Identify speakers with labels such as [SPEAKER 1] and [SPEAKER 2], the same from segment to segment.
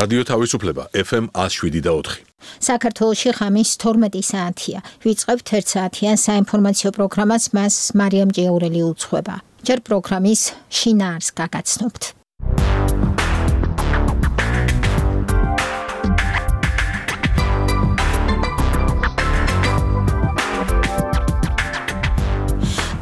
[SPEAKER 1] რადიო თავისუფლება FM 107.4.
[SPEAKER 2] საქართველოში ღამის 12 საათია. ვიწყებთ 1 საათიან საინფორმაციო პროგრამას, მას მარიამ ჭიაურელი უძღვება. ჯერ პროგრამის შინაარს გაგაცნობთ.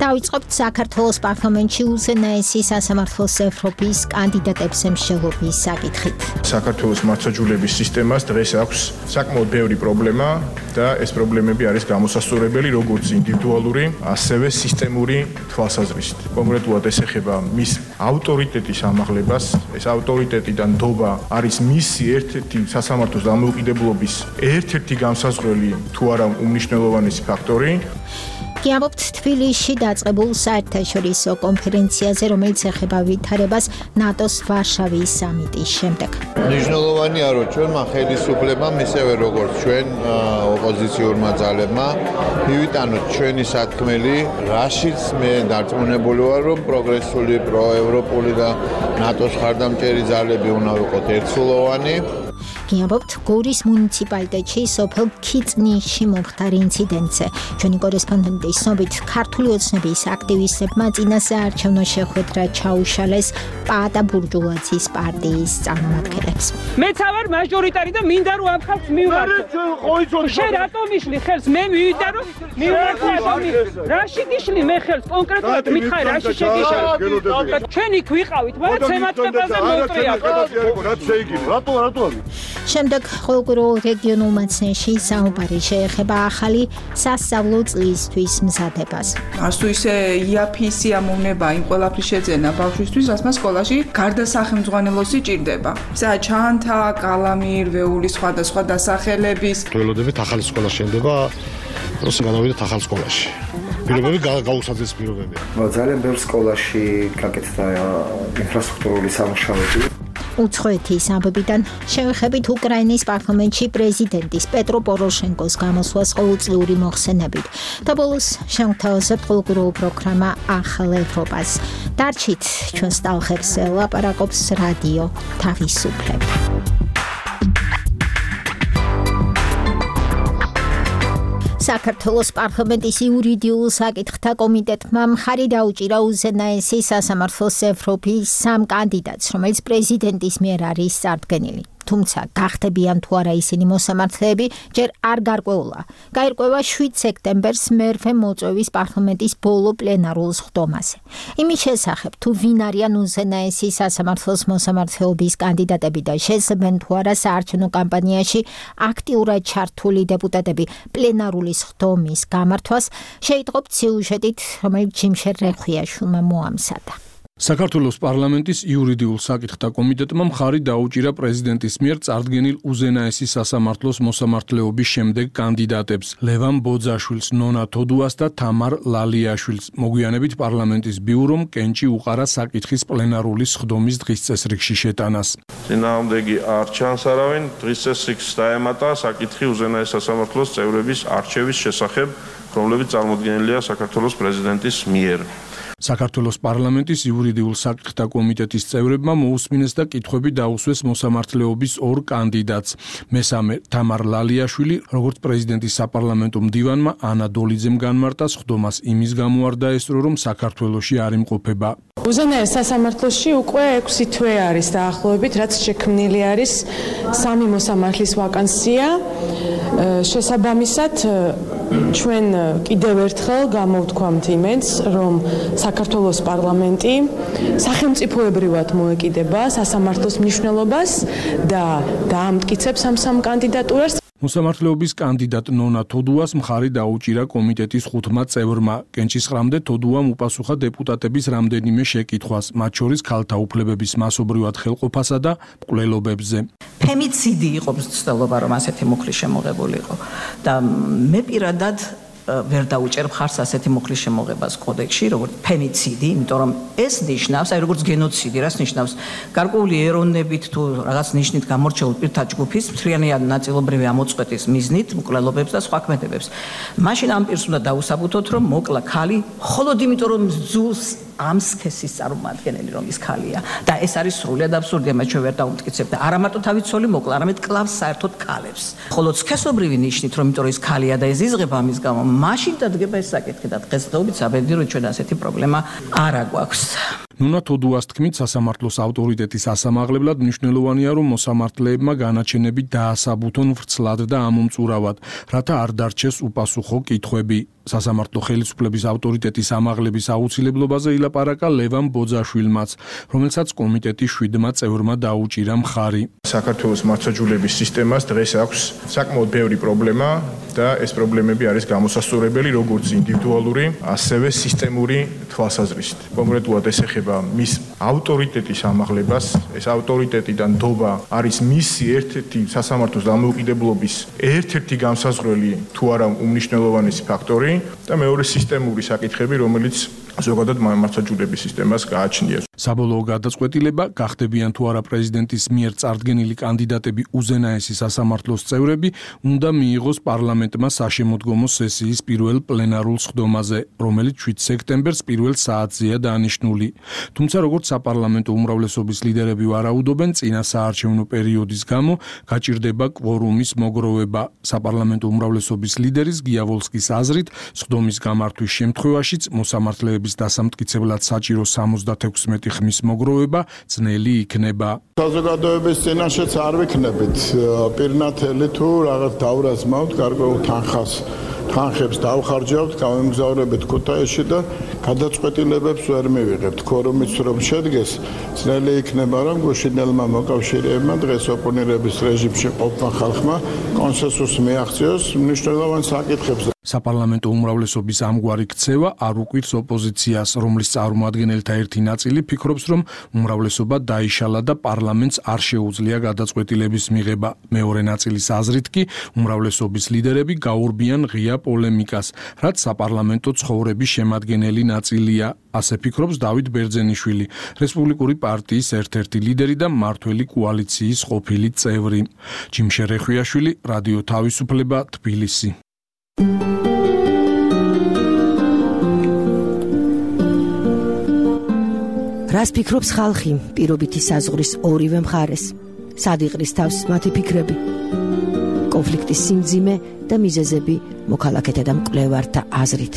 [SPEAKER 2] დავიწყებთ საქართველოს პარლამენტში უზენაესი სასამართლოს ევროპის კანდიდატებზე მსჯელობის საკითხით.
[SPEAKER 3] საქართველოს მართლმსაჯულების სისტემას დღეს აქვს საკმაოდ ბევრი პრობლემა და ეს პრობლემები არის გამოსასწორებელი როგორც ინდივიდუალური, ასევე სისტემური თვალსაზრისით. კონკრეტულად ეს ეხება მის ავტორიტეტის ამაღლებას. ეს ავტორიტეტი და ნდობა არის მისი ერთ-ერთი სასამართლოს დამოუკიდებლობის ერთ-ერთი განსაზღვრელი თუ არა უმნიშვნელოვანესი ფაქტორი. გიამბობთ თბილისში დაწყებულ საერთაშორისო კონფერენციაზე, რომელიც ეხება ვითარებას ნატოს ვარშავის სამიტის შემდეგ.
[SPEAKER 4] მნიშვნელოვანია, რომ ჩვენმა ხელისუფლებამ, ისევე როგორც ჩვენ ოპოზიციურმა ძალებმა, მივიტანოთ ჩვენი სათქმელი, რაშიც მე დარწმუნებული ვარ, რომ პროგრესული, პროევროპული და ნატოს ხარდამჭერი ძალები უნდა ვიყოთ ერთსულოვანი.
[SPEAKER 2] გიამბობთ გორის მუნიციპალიტეტში სოფელ ქიწნისში მომხდარ ინციდენტზე. ჩვენი კორესპონდენტის ცნობით, ქართული ოცნების აქტივისტებმა წინასაარჩევნო შეხვედრა ჩაუშალეს პა და ბურჟუაზიის პარტიის წარმომადგენლებს.
[SPEAKER 5] მეც ავარ მაჟორიტარი და მინდა რომ ამ ხალხს მივმართო. შენ რატომ მიშლი ხელს? მე მივიდა რომ მივმართო. რაში გიშლი მე ხელს? კონკრეტულად მითხარი რაში შეგიშალე? ჩვენ იქ ვიყავით, მაგრამ ემატყებაზე მოუწია.
[SPEAKER 3] რატო?
[SPEAKER 2] შემდეგ ყოველკვირეულ რეგიონულ მაცნეში საუბარი შეეხება ახალი სასწავლო წლისთვის მზადებას.
[SPEAKER 6] არც თუ ისე იაფი სიამოვნება იმ ყველაფრის შეძენა ბავშვისთვის, რაც მას სკოლაში გარდა სახელმძღვანელოსი ჭირდება. ისა ჩანთა, კალამი, რვეული სხვადასხვა დასახელების.
[SPEAKER 7] ველოდებით ახალი სკოლა შენდება, როცა გადავიდეთ ახალ სკოლაში. პირობები გაუსაძეს პირობებია.
[SPEAKER 8] ძალიან ბევრ სკოლაში გაკეთდა ინფრასტრუქტურული სამუშაოები.
[SPEAKER 2] უცხოეთის ამბებიდან შევეხებით უკრაინის პარლამენტში პრეზიდენტის პეტრო პოროშენკოს გამოსვლას ყოველწლიური მოხსენებით. და ბოლოს შევთავაზებთ ყოველკვირეულ პროგრამა ახალ ევროპას. დარჩით ჩვენს ტალღებს ლაპარაკობს რადიო თავისუფლება. საქართველოს პარლამენტის იურიდიულ საკითხთა კომიტეტმა მხარი დაუჭირა უზენაესი სასამართლოს ევროპის 3 კანდიდატს, რომელიც პრეზიდენტის მიერ არის წარდგენილი. თუმცა გახდებიან თუ არა ისინი მოსამართლეები, ჯერ არ გარკვეულა. გაირკვევა 7 სექტემბერს მერვე მოწვევის პარლამენტის ბოლო პლენარულ სხდომაზე. იმის შესახებ, თუ ვინ არიან უზენაესი სასამართლოს მოსამართლეობის კანდიდატები და შესაბენ თუ არა საარჩევნო კამპანიაში აქტიურად ჩართული დეპუტატები პლენარული სხდომის გამართვას, შეიტყობთ სიუჟეტით, რომელიც ჯიმშერ რეხვიაშვილმა მოამზადა.
[SPEAKER 9] საქართველოს პარლამენტის იურიდიულ საკითხთა კომიტეტმა მხარი დაუჭირა პრეზიდენტის მიერ წარდგენილ უზენაესი სასამართლოს მოსამართლეობის შემდეგ კანდიდატებს ლევან ბოძაშვილს, ნონა თოდუას და თამარ ლალიაშვილს. მოგვიანებით პარლამენტის ბიურომ კენჭი უყარა საკითხის პლენარული სხდომის დღის წესრიგში შეტანას.
[SPEAKER 10] წინააღმდეგი არ ჩანს არავინ, დღის წესრიგს დაემატა საკითხი უზენაეს სასამართლოს წევრების არჩევის შესახებ, რომლებიც წარმოდგენილია საქართველოს პრეზიდენტის მიერ.
[SPEAKER 9] საქართველოს პარლამენტის იურიდიულ საკითხთა კომიტეტის წევრებმა მოусმინეს და კითხვები დაუსვეს მოსამართლეობის 2 კანდიდატს. მესამე თამარ ლალიაშვილი, როგორც პრეზიდენტის საპარლამენტო მდივანმა ანა დოლიძემ განმარტა სხდომას იმის გამო არ დაესწრო, რომ საქართველოში არ იმყოფება.
[SPEAKER 11] უზენაეს სასამართლოში უკვე 6 თვე არის დაახლოებით, რაც შექმნილი არის 3 მოსამართლის ვაკანსია. შესაბამისად, ჩვენ კიდევ ერთხელ გამოვთქვამთ იმედს, რომ საქართველოს პარლამენტი სახელმწიფოებრივად მოეკიდება სასამართლოს მნიშვნელობას და დაამტკიცებს ამ კანდიდატურას.
[SPEAKER 9] მოსამართლეობის კანდიდატ ნონა თოდუას მხარი დაუჭირა კომიტეტის 5 წევრმა. კენჭისყრამდე თოდუამ უპასუხა დეპუტატების რამდენიმე შეკითხვას, მათ შორის ქალთა უფლებების მასობრივად ხელყოფასა და მკვლელობებზე.
[SPEAKER 12] ფემიციდი იყო მცდელობა, რომ ასეთი მუხლი შემოღებული იყო და მე პირადად ვერ დაუჭერ მხარს ასეთი მუხლის შემოღებას კოდექსში, როგორც ფემიციდი, იმიტომ რომ ეს ნიშნავს, აი როგორც გენოციდი, რას ნიშნავს? გარკვეული ეროვნებით თუ რაღაც ნიშნით გამორჩეულ პირთა ჯგუფის მთლიანად ნაწილობრივი ამოწყვეტის მიზნით მკვლელობებს და სხვა ქმედებებს. მაშინ ამ პირს უნდა დაუსაბუთოთ, რომ მოკლა ქალი, მხოლოდ იმიტომ რომ ზულს ამ სქესის წარმომადგენელი რომ ის ქალია და ეს არის სრულიად აბსურდი, ამას ჩვენ ვერ დავუმტკიცებთ და არა მარტო თავით ცოლი მოკლა, არამედ კლავს საერთოდ ქალებს. ხოლო სქესობრივი ნიშნით, რომ იმიტომ რომ ის ქალია და ეს იზღება ამის გამო, მაშინ დადგება ეს საკითხი და დღესდღეობით საბედნიერო რომ ჩვენ ასეთი პრობლემა არ აგვაქვს.
[SPEAKER 9] ნუნა თოდუას თქმით, სასამართლოს ავტორიტეტის ასამაღლებლად მნიშვნელოვანია, რომ მოსამართლეებმა განაჩენები დაასაბუთონ ვრცლად და ამომწურავად, რათა არ დარჩეს უპასუხო კითხვები. სასამართლო ხელისუფლების ავტორიტეტის ამაღლების აუცილებლობაზე ილაპარაკა ლევან ბოძაშვილმაც, რომელსაც კომიტეტის 7 წევრმა დაუჭირა მხარი.
[SPEAKER 3] საქართველოს მართლმსაჯულების სისტემას დღეს აქვს საკმაოდ ბევრი პრობლემა და ეს პრობლემები არის გამოსასწორებელი როგორც ინდივიდუალური, ასევე სისტემური თვალსაზრისით. კონკრეტულად ეს ეხება მის ავტორიტეტის ამაღლებას. ეს ავტორიტეტი და ნდობა არის მისი ერთ-ერთი სასამართლოს დამოუკიდებლობის ერთ-ერთი განსაზღვრელი თუ არა უმნიშვნელოვანესი ფაქტორი და მეორე სისტემური საკითხები, რომელიც ზოგადად მართლმსაჯულების სისტემას გააჩნია.
[SPEAKER 9] საბოლოო გადაწყვეტილება გახდებიან თუ არა პრეზიდენტის მიერ წარდგენილი კანდიდატები უზენაესი სასამართლოს წევრები, უნდა მიიღოს პარლამენტმა საშემოდგომო სესიის პირველ პლენარულ სხდომაზე, რომელიც 7 სექტემბერს პირველ საათზეა დანიშნული. თუმცა როგორც საპარლამენტო უმრავლესობის ლიდერები ვარაუდობენ, წინა საარჩევნო პერიოდის გამო გაჭირდება კვორუმის მოგროვება. საპარლამენტო უმრავლესობის ლიდერის გიავოლსკის აზრით, სხდომის გამართვის შემთხვევაშიც მოსამართლეების დასამტკიცებლად საჭირო 76 ხმის მოგროვება ძნელი იქნება.
[SPEAKER 13] საზოგადოების წინაშეც არ ვიქნებით პირნათელი თუ რაღაც დავრაზმავთ გარკვეულ თანხებს დავხარჯავთ, გავემგზავრებით ქუთაისში და გადაწყვეტილებებს ვერ მივიღებთ. ქორუმიც რომ შედგეს, ძნელი იქნება რომ გუშინელმა მოკავშირეებმა დღეს ოპონირების რეჟიმში ყოფნა ხალხმა კონსენსუსს მიაღწიოს მნიშვნელოვან საკითხებზე.
[SPEAKER 9] საპარლამენტო უმრავლესობის ამგვარი ქცევა არ უკვირს ოპოზიციას, რომლის წარმომადგენელთა ერთი ნაწილი ფიქრობს, რომ უმრავლესობა დაიშალა და პარლამენტს არ შეუძლია გადაწყვეტილების მიღება. მეორე ნაწილის აზრით კი უმრავლესობის ლიდერები გაურბიან ღია პოლემიკას, რაც საპარლამენტო ცხოვრების შემადგენელი ნაწილია. ასე ფიქრობს დავით ბერძენიშვილი, რესპუბლიკური პარტიის ერთ-ერთი ლიდერი და მმართველი კოალიციის ყოფილი წევრი. ჯიმშე რეხვიაშვილი, რადიო თავისუფლება, თბილისი.
[SPEAKER 14] რას ფიქრობს ხალხი პირობითი საზღვრის ორივე მხარეს? სად იყრის თავს მათი ფიქრები? კონფლიქტის სიმძიმე და მიზეზები მოქალაქეთა და მკვლევართა აზრით.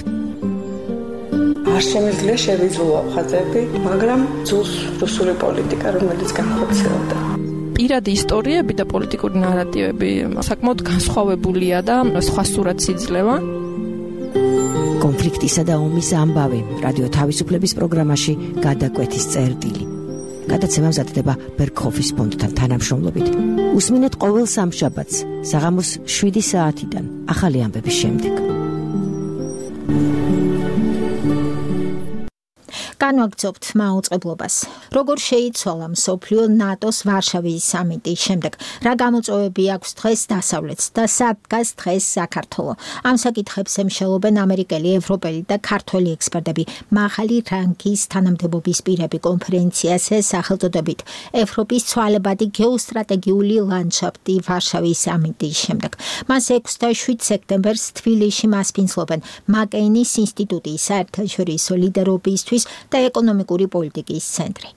[SPEAKER 6] არ შემიძლია შევიძულო ხაზები, მაგრამ ძულს რუსული პოლიტიკა, რომელიც განხორციელდა.
[SPEAKER 11] პირადი ისტორიები და პოლიტიკური ნარატივები საკმაოდ განსხვავებულია და სხვა სურათს იძლევა.
[SPEAKER 14] კონფლიქტისა და ომის ამბავი რადიო თავისუფლების პროგრამაში გადაკვეთის წერტილი. გადაცემა მზადდება ბერქოფის ფონდთან თანამშრომლობით. უსმინეთ ყოველ სამშაბათს საღამოს 7 საათიდან ახალი ამბების შემდეგ.
[SPEAKER 2] განვაგრძობთ მაუწყებლობას. როგორ შეიცვალა მსოფლიო ნატოს ვარშავის სამიტის შემდეგ? რა გამოწვევები აქვს დღეს დასავლეთს და სად დგას დღეს საქართველო? ამ საკითხებს ემშელობენ ამერიკელი, ევროპელი და ქართველი ექსპერტები. მაღალი რანგის თანამდებობის პირები კონფერენციას სახელწოდებით ევროპის ცვალებადი გეოსტრატეგიული ლანდშაფტი ვარშავის სამიტის შემდეგ. მას 6 და 7 სექტემბერს თბილისში მასპინძლობენ მაკეინის ინსტიტუტის საერთაშორისო ლიდერობისთვის და ეკონომიკური პოლიტიკის ცენტრი.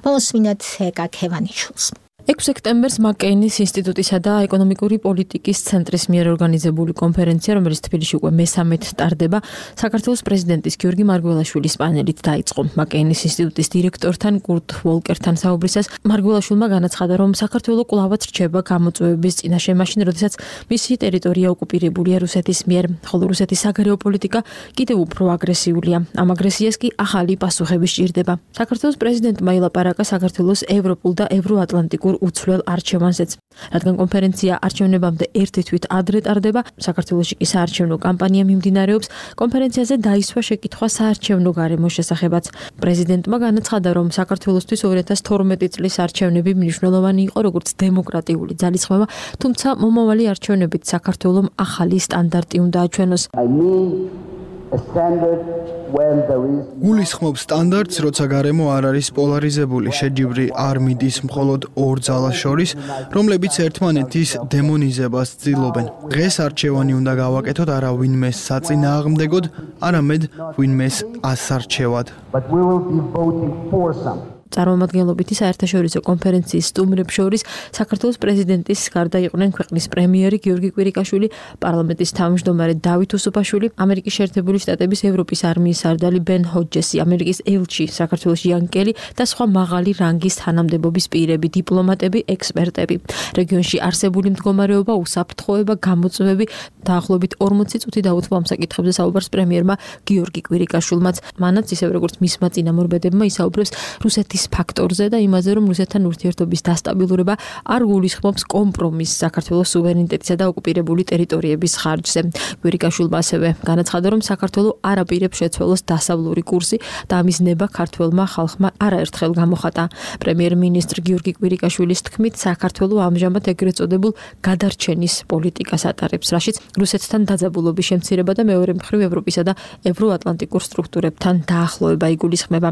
[SPEAKER 2] მოსმინათ ეკა ქევანიშვილს.
[SPEAKER 11] 6 სექტემბერს მაკეინის ინსტიტუტისა და ეკონომიკური პოლიტიკის ცენტრის მიერ ორგანიზებული კონფერენცია, რომელიც თბილისში უკვე მე-13 ტარდება, საქართველოს პრეზიდენტის გიორგი მარგველაშვილის პანელით დაიწყო. მაკეინის ინსტიტუტის დირექტორთან კურტ ვოლკერთან საუბრისას მარგველაშვილმა განაცხადა, რომ საქართველო კვლავაც რჩება გამოწვევების წინაშე, მაშინ როდესაც მისი ტერიტორია ოკუპირებულია რუსეთის მიერ, ხოლო რუსეთის საგარეო პოლიტიკა კიდევ უფრო აგრესიულია. ამ აგრესიას კი ახალი პასუხები სჭირდება. საქართველოს პრეზიდენტმა ილაპარაკა საქართველოს ევროპულ და ევროატლანტიკურ უცვლელ არჩევანზეც. რადგან კონფერენცია არჩევნებამდე ერთი თვით ადრე ტარდება, საქართველოში კი საარჩევნო კამპანია მიმდინარეობს, კონფერენციაზე დაისვა შეკითხვა საარჩევნო გარემოს შესახებაც. პრეზიდენტმა განაცხადა, რომ საქართველოსთვის 2012 წლის არჩევნები მნიშვნელოვანი იყო როგორც დემოკრატიული ძალისხმევა, თუმცა მომავალი არჩევნებით საქართველომ ახალი სტანდარტი უნდა აჩვენოს.
[SPEAKER 15] გულისხმობს სტანდარტს, როცა გარემო არ არის პოლარიზებული, შეჯიბრი არ მიდის მხოლოდ ორ ძალას შორის, რომლებიც ერთმანეთის დემონიზებას ცდილობენ. დღეს არჩევანი უნდა გავაკეთოთ არა ვინმეს საწინააღმდეგოდ, არამედ ვინმეს ასარჩევად.
[SPEAKER 11] წარმომადგენლობითი საერთაშორისო კონფერენციის სტუმრებს შორის საქართველოს პრეზიდენტის გარდა იყვნენ ქვეყნის პრემიერი გიორგი კვირიკაშვილი, პარლამენტის თავმჯდომარე დავით უსუფაშვილი, ამერიკის შეერთებული შტატების ევროპის არმიის სარდალი ბენ ჰოჯესი, ამერიკის ელჩი საქართველოში იან კელი და სხვა მაღალი რანგის თანამდებობის პირები, დიპლომატები, ექსპერტები. რეგიონში არსებული მდგომარეობა, უსაფრთხოება, გამოწვევები დაახლოებით 40 წუთი დაუთმო ამ საკითხებზე საუბარს პრემიერმა გიორგი კვირიკაშვილმაც. მანაც ისევ როგორც მისმა წინამორბედებმა ისაუბრებს რუსეთის ფაქტორზე და იმაზე, რომ რუსეთთან ურთიერთობის დასტაბილურება არ გულისხმობს კომპრომისს საქართველოს სუვერენიტეტისა და ოკუპირებული ტერიტორიების ხარჯზე. კვირიკაშვილმა ასევე განაცხადა, რომ საქართველო არ აპირებს შეცვალოს დასავლური კურსი და ამის ნება ქართველმა ხალხმა არაერთხელ გამოხატა. პრემიერ-მინისტრ გიორგი კვირიკაშვილის თქმით, საქართველო ამჟამად ეგრეთ წოდებულ გადარჩენის პოლიტიკას ატარებს, რაშიც რუსეთთან დაძაბულობის შემცირება და მეორე მხრივ ევროპისა და ევროატლანტიკურ სტრუქტურებთან დაახლოება იგულისხმება.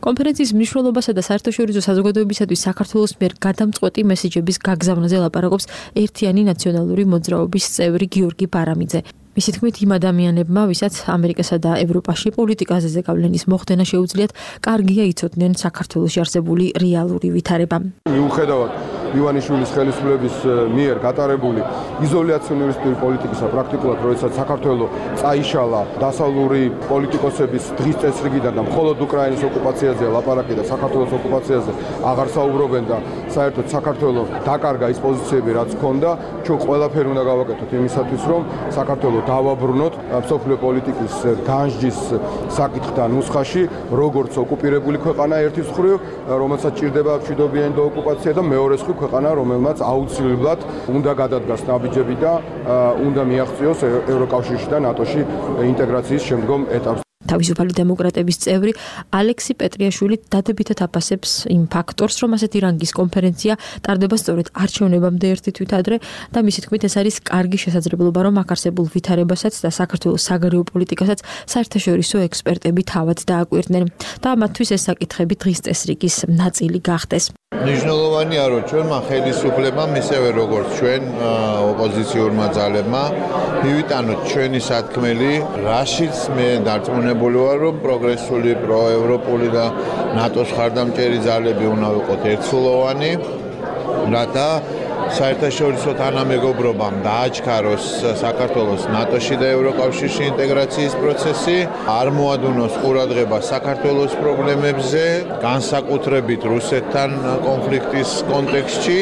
[SPEAKER 11] კონფერენციის მნიშვნელობასა და საერთაშორისო საზოგადოებისათვის საქართველოს მიერ გადამწყვეტი მესიჯების გაგზავნაზე ლაპარაკობს ერთიანი ნაციონალური მოძრაობის წევრი გიორგი ბარამიძე. მისი თქმით, იმ ადამიანებმა, ვისაც ამერიკასა და ევროპაში პოლიტიკაზე ზეგავლენის მოხდენა შეუძლიათ, კარგია იცოდნენ საქართველოში არსებული რეალური ვითარება.
[SPEAKER 16] მიუხედავად ივანიშვილის ხელისუფლების მიერ გატარებული იზოლაციონისტური პოლიტიკისა, პრაქტიკულად როდესაც საქართველო წაიშალა დასავლური პოლიტიკოსების დღის წესრიგიდან და მხოლოდ უკრაინის ოკუპაციაზე ლაპარაკი და საქართველოს ოკუპაციაზე აღარ საუბრობენ და საერთოდ საქართველო დაკარგა ის პოზიციები, რაც ჰქონდა, ჩვენ ყველაფერი უნდა გავაკეთოთ იმისათვის, რომ საქართველო დავაბრუნოთ მსოფლიო პოლიტიკის განსჯის საკითხთან ნუსხაში, როგორც ოკუპირებული ქვეყანა ერთის მხრივ, რომელსაც ჭირდება მშვიდობიანი ოკუპაცია და მეორე მხრივ ქვეყანა, რომელმაც აუცილებლად უნდა გადადგას ნაბიჯები და უნდა მიაღწიოს ევროკავშირში და ნატოში ინტეგრაციის შემდგომ ეტაპს.
[SPEAKER 11] თავისუფალი დემოკრატების წევრი ალექსი პეტრიაშვილი დადებითად აფასებს იმ ფაქტორს, რომ ასეთი რანგის კონფერენცია ტარდება სწორედ არჩევნებამდე ერთი თვით ადრე და მისი თქმით ეს არის კარგი შესაძლებლობა, რომ აქ არსებულ ვითარებასაც და საქართველოს საგარეო პოლიტიკასაც საერთაშორისო ექსპერტები თავად დააკვირდნენ და მათთვის ეს საკითხები დღის წესრიგის ნაწილი გახდეს.
[SPEAKER 4] მნიშვნელოვანია, რომ ჩვენმა ხელისუფლებამ ისევე როგორც ჩვენ ოპოზიციურმა ძალებმა მივიტანოთ ჩვენი სათქმელი, რაშიც მე დარწმუნებული ვარ, რომ პროგრესული, პროევროპული და ნატოს ხარდამჭერი ძალები უნდა ვიყოთ ერთსულოვანი, რათა საერთაშორისო თანამეგობრობამ დააჩქაროს საქართველოს ნატოში და ევროკავშირში ინტეგრაციის პროცესი, არ მოადუნოს ყურადღება საქართველოს პრობლემებზე, განსაკუთრებით რუსეთთან კონფლიქტის კონტექსტში.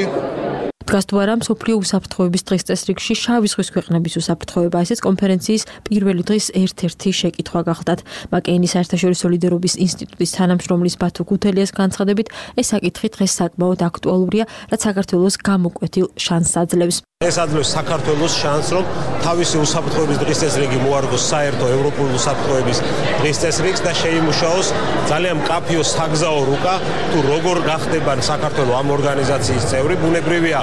[SPEAKER 4] დგას თუ არა მსოფლიო უსაფრთხოების დღის წესრიგში შავი ზღვის ქვეყნების უსაფრთხოება, ესეც კონფერენციის პირველი დღის ერთ-ერთი შეკითხვა გახლდათ. მაკეინის საერთაშორისო ლიდერობის ინსტიტუტის თანამშრომლის ბათუ გუთელიას განცხადებით, ეს საკითხი დღეს საკმაოდ აქტუალურია, რაც საქართველოს გამოკვეთილ შანსს აძლევს.
[SPEAKER 17] ეს აძლევს საქართველოს შანსს, რომ თავისი უსაფრთხოების დღის წესრიგი მოარგოს საერთო ევროპული უსაფრთხოების დღის წესრიგს და შეიმუშაოს ძალიან მკაფიო საგზაო რუკა, თუ როგორ გახდება საქართველო ამ ორგანიზაციის წევრი. ბუნებრივია,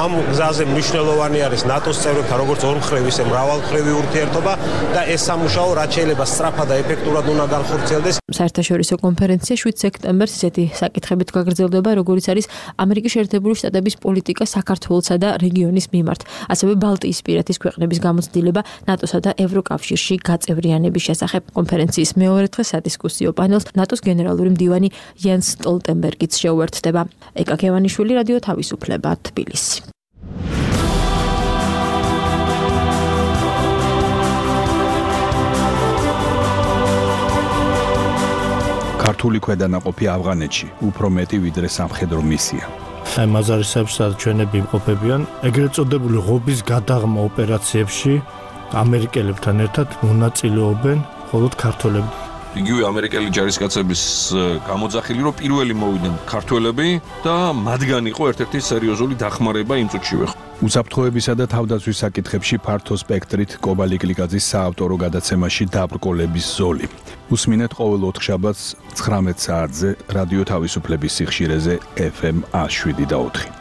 [SPEAKER 17] ამ გზაზე მნიშვნელოვანი არის ნატოს წევრებთან როგორც ორმხრივი, ისე მრავალმხრივი ურთიერთობა და ეს სამუშაო რაც შეიძლება სწრაფად და ეფექტურად უნდა განხორციელდეს. საერთაშორისო კონფერენცია 7 სექტემბერს ისეთი საკითხებით გაგრძელდება, როგორიც არის ამერიკის შეერთებული შტატების პოლიტიკა საქართველოსა და რეგიონის მიმართ, ასევე ბალტიისპირეთის ქვეყნების გამოცდილება ნატოსა და ევროკავშირში გაწევრიანების შესახებ. კონფერენციის მეორე დღეს სადისკუსიო პანელს ნატოს გენერალური მდივანი იანს სტოლტენბერგიც შეუერთდება. ეკა ქევანიშვილი, რადიო თავისუფლება, თბილისი.
[SPEAKER 18] ქართული ქვედანაყოფი ავღანეთში უფრო მეტი ვიდრე სამხედრო მისია.
[SPEAKER 7] აი მაზარისებს ჩვენები იმყოფებიან ეგრეთ წოდებული ღობის გადაღმა ოპერაციებში ამერიკელებთან ერთად მონაწილეობენ მხოლოდ ქართველები.
[SPEAKER 1] იგივე ამერიკელი ჯარისკაცების გამოძახილი, რომ პირველი მოვიდნენ ქართველები და მათგან იყო ერთ-ერთი სერიოზული დახმარება იმ წუთშივე.
[SPEAKER 18] უსაფრთხოებისა და თავდაცვის საკითხებში ფართო სპექტრით კობალი კლიკაძის საავტორო გადაცემაში დაბრკოლების ზოლი. უსმინეთ ყოველ 4 შაბათს 19 საათზე რადიო თავისუფლების სიხშირეზე FM 107.4.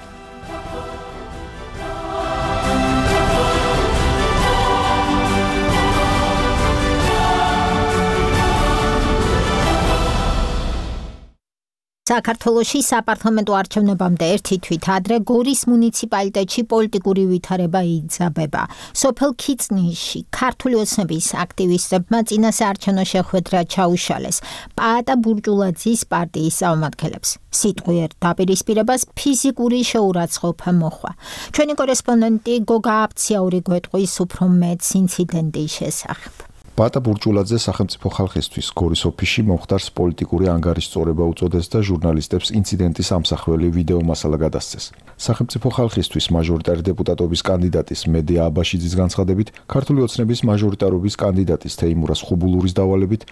[SPEAKER 2] საქართველოში საპარლამენტო არჩევნებამდე ერთი თვით ადრე გორის მუნიციპალიტეტში პოლიტიკური ვითარება იძაბება. სოფელ ქიწნისში ქართული ოცნების აქტივისტებმა წინასაარჩევნო შეხვედრა ჩაუშალეს პაატა ბურჭულაძის პარტიის წარმომადგენლებს. სიტყვიერ დაპირისპირებას ფიზიკური შეურაცხყოფა მოჰყვა. ჩვენი კორესპონდენტი გოგა აფციაური გვეტყვის უფრო მეტს ინციდენტის შესახებ.
[SPEAKER 19] პაატა ბურჭულაძე სახელმწიფო ხალხისთვის გორის ოფისში მომხდარს პოლიტიკური ანგარიშწორება უწოდეს და ჟურნალისტებს ინციდენტის ამსახველი ვიდეო მასალა გადასცეს. სახელმწიფო ხალხისთვის მაჟორიტარი დეპუტატობის კანდიდატის მედია აბაშიძის განცხადებით, ქართული ოცნების მაჟორიტარობის კანდიდატის თეიმურას ხუბულურის დავალებით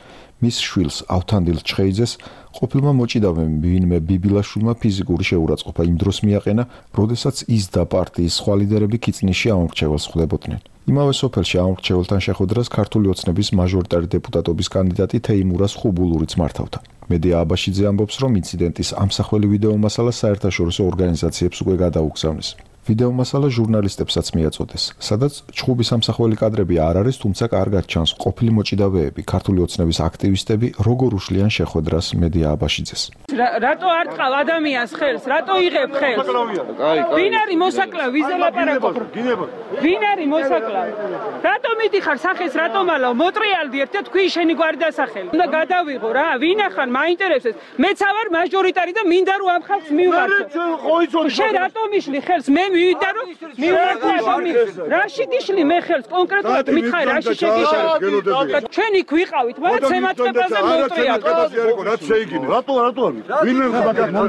[SPEAKER 19] მის შვილს ავთანდილ ჩხეიძეს ყოფილმა მოჭიდავემ ვინმე ბიბილაშვილმა ფიზიკური შეურაცხყოფა იმ დროს მიაყენა, როდესაც ის და პარტიის სხვა ლიდერები ქიწნისში ამორჩეველს ხვდებოდნენ. იმავე სოფელში ამორჩეველთან შეხვედრას ქართული ოცნების მაჟორიტარი დეპუტატობის კანდიდატი თეიმურას ხუბულურიც მართავდა. მედია აბაშიძე ამბობს, რომ ინციდენტის ამსახველი ვიდეო მასალა საერთაშორისო ორგანიზაციებს უკვე გადაუგზავნეს. ვიდეო მასალა ჟურნალისტებსაც მიაწოდეს, სადაც ჩხუბის ამსახველი კადრები არ არის, თუმცა კარგად ჩანს ყოფილი მოჭიდავეები, ქართული ოცნების აქტივისტები, როგორ უშლიან შეხვედრას მედია აბაშიძეს.
[SPEAKER 5] რატო არ ტყავ ადამიანს ხელს? რატო იღებ ხელს? ვინ არის მოსაკლავ? ვიზე ლაპარაკობ? ვინ არის მოსაკლავ? რატო მიდიხარ სახეს, რატო მალავ? მოტრიალდი ერთად თქვი შენი გვარი დასახელი. უნდა გადავიღო რა, ვინ ახან მაინტერესებს. მეც ავარ მაჟორიტარი და მინდა რომ ამ ხალხს მივმართო. შენ რატო მიშლი ხელს? მე მივიდა რომ მივმართო ადამიანს. რაში გიშლი მე ხელს კონკრეტულად მითხარ რაში შეგიშალ. ჩვენ იქ ვიყავით, მაგრამ ცემატყებაზე მოტრიალდი.
[SPEAKER 13] რაც შეიგინე. რატო არის? ვინმე მაგინო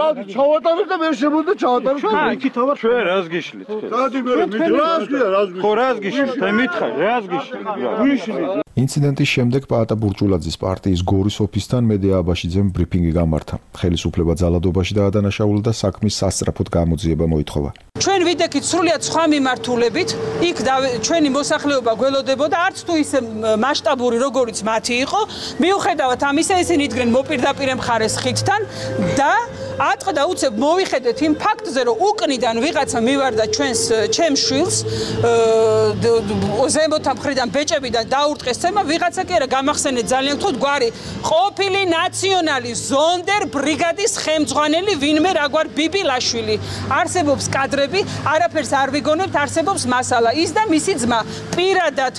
[SPEAKER 13] დადი ჩავატარებ და მე შემოდა ჩავატარებ.
[SPEAKER 20] იქით ვარ. ჩვენ რას გიშლით?
[SPEAKER 13] დადი მე რას
[SPEAKER 20] ხო რას გიშლით? მე მითხარ რას გიშლით? ვიშლით?
[SPEAKER 19] ინციდენტის შემდეგ პაატა ბურჭულაძის პარტიის გორის ოფისთან მედია აბაშიძემ ბრიფინგი გამართა. ხელისუფლება ძალადობაში დაადანაშაულა და საქმის სასწრაფოდ გამოძიება მოითხოვა.
[SPEAKER 5] ჩვენ ვიდექით სრულიად სხვა მიმართულებით, იქ ჩვენი მოსახლეობა გველოდებოდა, არც თუ ისე მასშტაბური როგორიც მათი იყო, მიუხედავად ამისა ისინი იდგნენ მოპირდაპირე მხარეს ხიდთან და ატყდა უცებ მოვიხედეთ იმ ფაქტზე, რომ უკნიდან ვიღაცა მივარდა ჩემს შვილს ზემოთა მხრიდან ბეჭებიდან დაურტყეს ცემა, ვიღაცა კი არა გამახსენეთ ძალიან გთხოვთ გვარი ყოფილი ნაციონალი ზონდერ ბრიგადის ხელმძღვანელი ვინმე რაგვარ ბიბილაშვილი. არსებობს კადრები, არაფერს არ ვიგონებთ, არსებობს მასალა. ის და მისი ძმა პირადად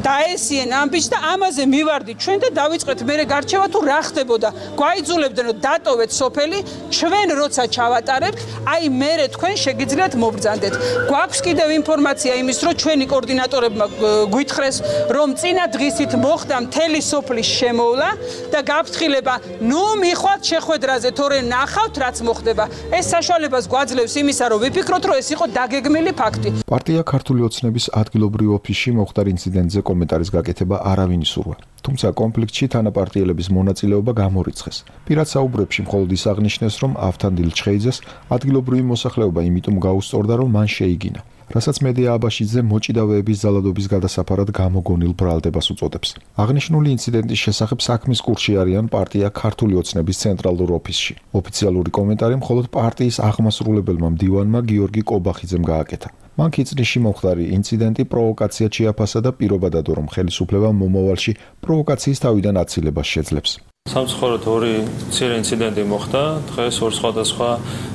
[SPEAKER 5] დაესიენ ამბიჩს და ამაზე მივარდით ჩვენ და დავიწყეთ მერე გარჩევა თუ რა ხდებოდა. გვაიძულებდნენ რომ დატოვეთ სოფელი, ჩვენ როცა ჩავატარებთ, აი მერე თქვენ შეგიძლიათ მობრძანდეთ. გვაქვს კიდევ ინფორმაცია იმის, რომ ჩვენი კოორდინატორებმა გვითხრეს, რომ წინა დღისით მოხდა მთელი სოფლის შემოვლა და გაფრთხილება, ნუ მიხვალთ შეხვედრაზე, თორე ნახავთ რაც მოხდება. ეს საშუალებას გვაძლევს იმისა, რომ ვიფიქროთ, რომ ეს იყო დაგეგმილი ფაქტი.
[SPEAKER 19] პარტია ქართული ოცნების ადგილობრივ ოფისში მომხდარ ინციდენტზე კომენტარის გაკეთება არავინ ისურვა. თუმცა კონფლიქტში თანაპარტიელების მონაწილეობა გამორიცხეს. პირად საუბრებში მხოლოდ ის აღნიშნეს, რომ ავთანდილ ჩხეიძეს ადგილობრივი მოსახლეობა იმიტომ გაუსწორდა, რომ მან შეიგინა. რასაც მედია აბაშიძე მოჭიდავეების ძალადობის გადასაფარად გამოგონილ ბრალდებას უწოდებს. აღნიშნული ინციდენტის შესახებ საქმის კურსში არიან პარტია ქართული ოცნების ცენტრალურ ოფისში. ოფიციალური კომენტარი მხოლოდ პარტიის აღმასრულებელმა მდივანმა გიორგი კობახიძემ გააკეთა. მან ქიწნისში მომხდარი ინციდენტი პროვოკაციად შეაფასა და პირობა დადო, რომ ხელისუფლება მომავალში პროვოკაციის თავიდან აცილებას შეძლებს.
[SPEAKER 20] სამწუხაროდ ორი მცირე ინციდენტი მოხდა დღეს ორ სხვადასხვა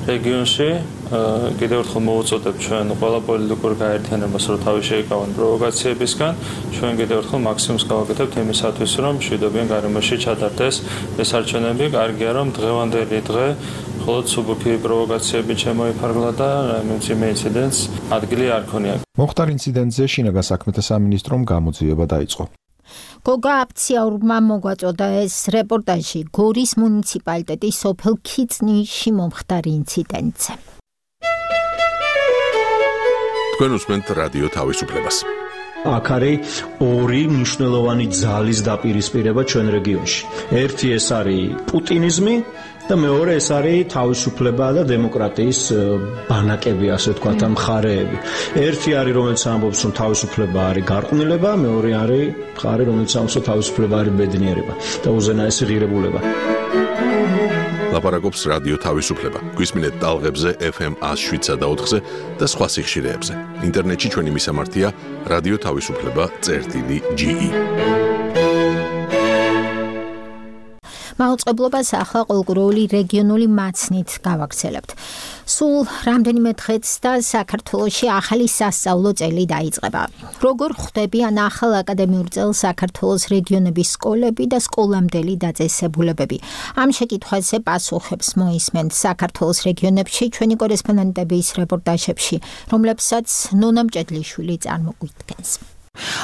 [SPEAKER 20] რეგიონში. კიდევ ერთხელ მოვუწოდებ ჩვენ ყველა პოლიტიკურ გაერთიანებას, რომ თავი შეიკავონ პროვოკაციებისგან. ჩვენ კიდევ ერთხელ მაქსიმუმს გავაკეთებთ იმისათვის, რომ მშვიდობიან გარემოში ჩატარდეს ეს არჩევნები. კარგია, რომ დღევანდელი დღე მხოლოდ სუბუქი პროვოკაციები შემოიფარგლა და მძიმე ინციდენტს ადგილი არ ქონია.
[SPEAKER 19] მომხდარ ინციდენტზე შინაგან საქმეთა სამინისტრომ გამოძიება დაიწყო.
[SPEAKER 2] გოგა აფციაურმა მოგვაწოდა ეს რეპორტაჟი გორის მუნიციპალიტეტის სოფელ ქიწნისში მომხდარ ინციდენტზე.
[SPEAKER 21] თქვენ უსმენთ რადიო თავისუფლებას.
[SPEAKER 22] აქ არის ორი მნიშვნელოვანი ძალის დაპირისპირება ჩვენ რეგიონში. ერთი ეს არის პუტინიზმი და მეორე ეს არის თავისუფლება და დემოკრატიის ბანაკები, ასე ვთქვათ, ამ მხარეები. ერთი არის, რომელიც ამბობს, რომ თავისუფლება არის გარყვნილება, მეორე არის მხარე, რომელიც ამბობს, რომ თავისუფლება არის ბედნიერება და უზენაესი ღირებულება.
[SPEAKER 21] ლაპარაკობს რადიო თავისუფლება. გვისმინეთ ტალღებზე FM 107.4-ზე და სხვა სიხშირეებზე. ინტერნეტში ჩვენი მისამართია radioთავისუფლება.ge.
[SPEAKER 2] მაუწყებლობას ახლა ყოველგვაროვანი რეგიონული მაცნით გავაგრძელებთ. სულ რამდენიმე დღეც და საქართველოში ახალი სასწავლო წელი დაიწყება. როგორ ხვდებიან ახალ აკადემიურ წელს საქართველოს რეგიონების სკოლები და სკოლამდელი დაწესებულებები? ამ შეკითხვაზე პასუხებს მოისმენთ საქართველოს რეგიონებში ჩვენი კორესპონდენტების რეპორტაჟებში, რომლებსაც ნონა მჭედლიშვილი წარმოგვიდგენს.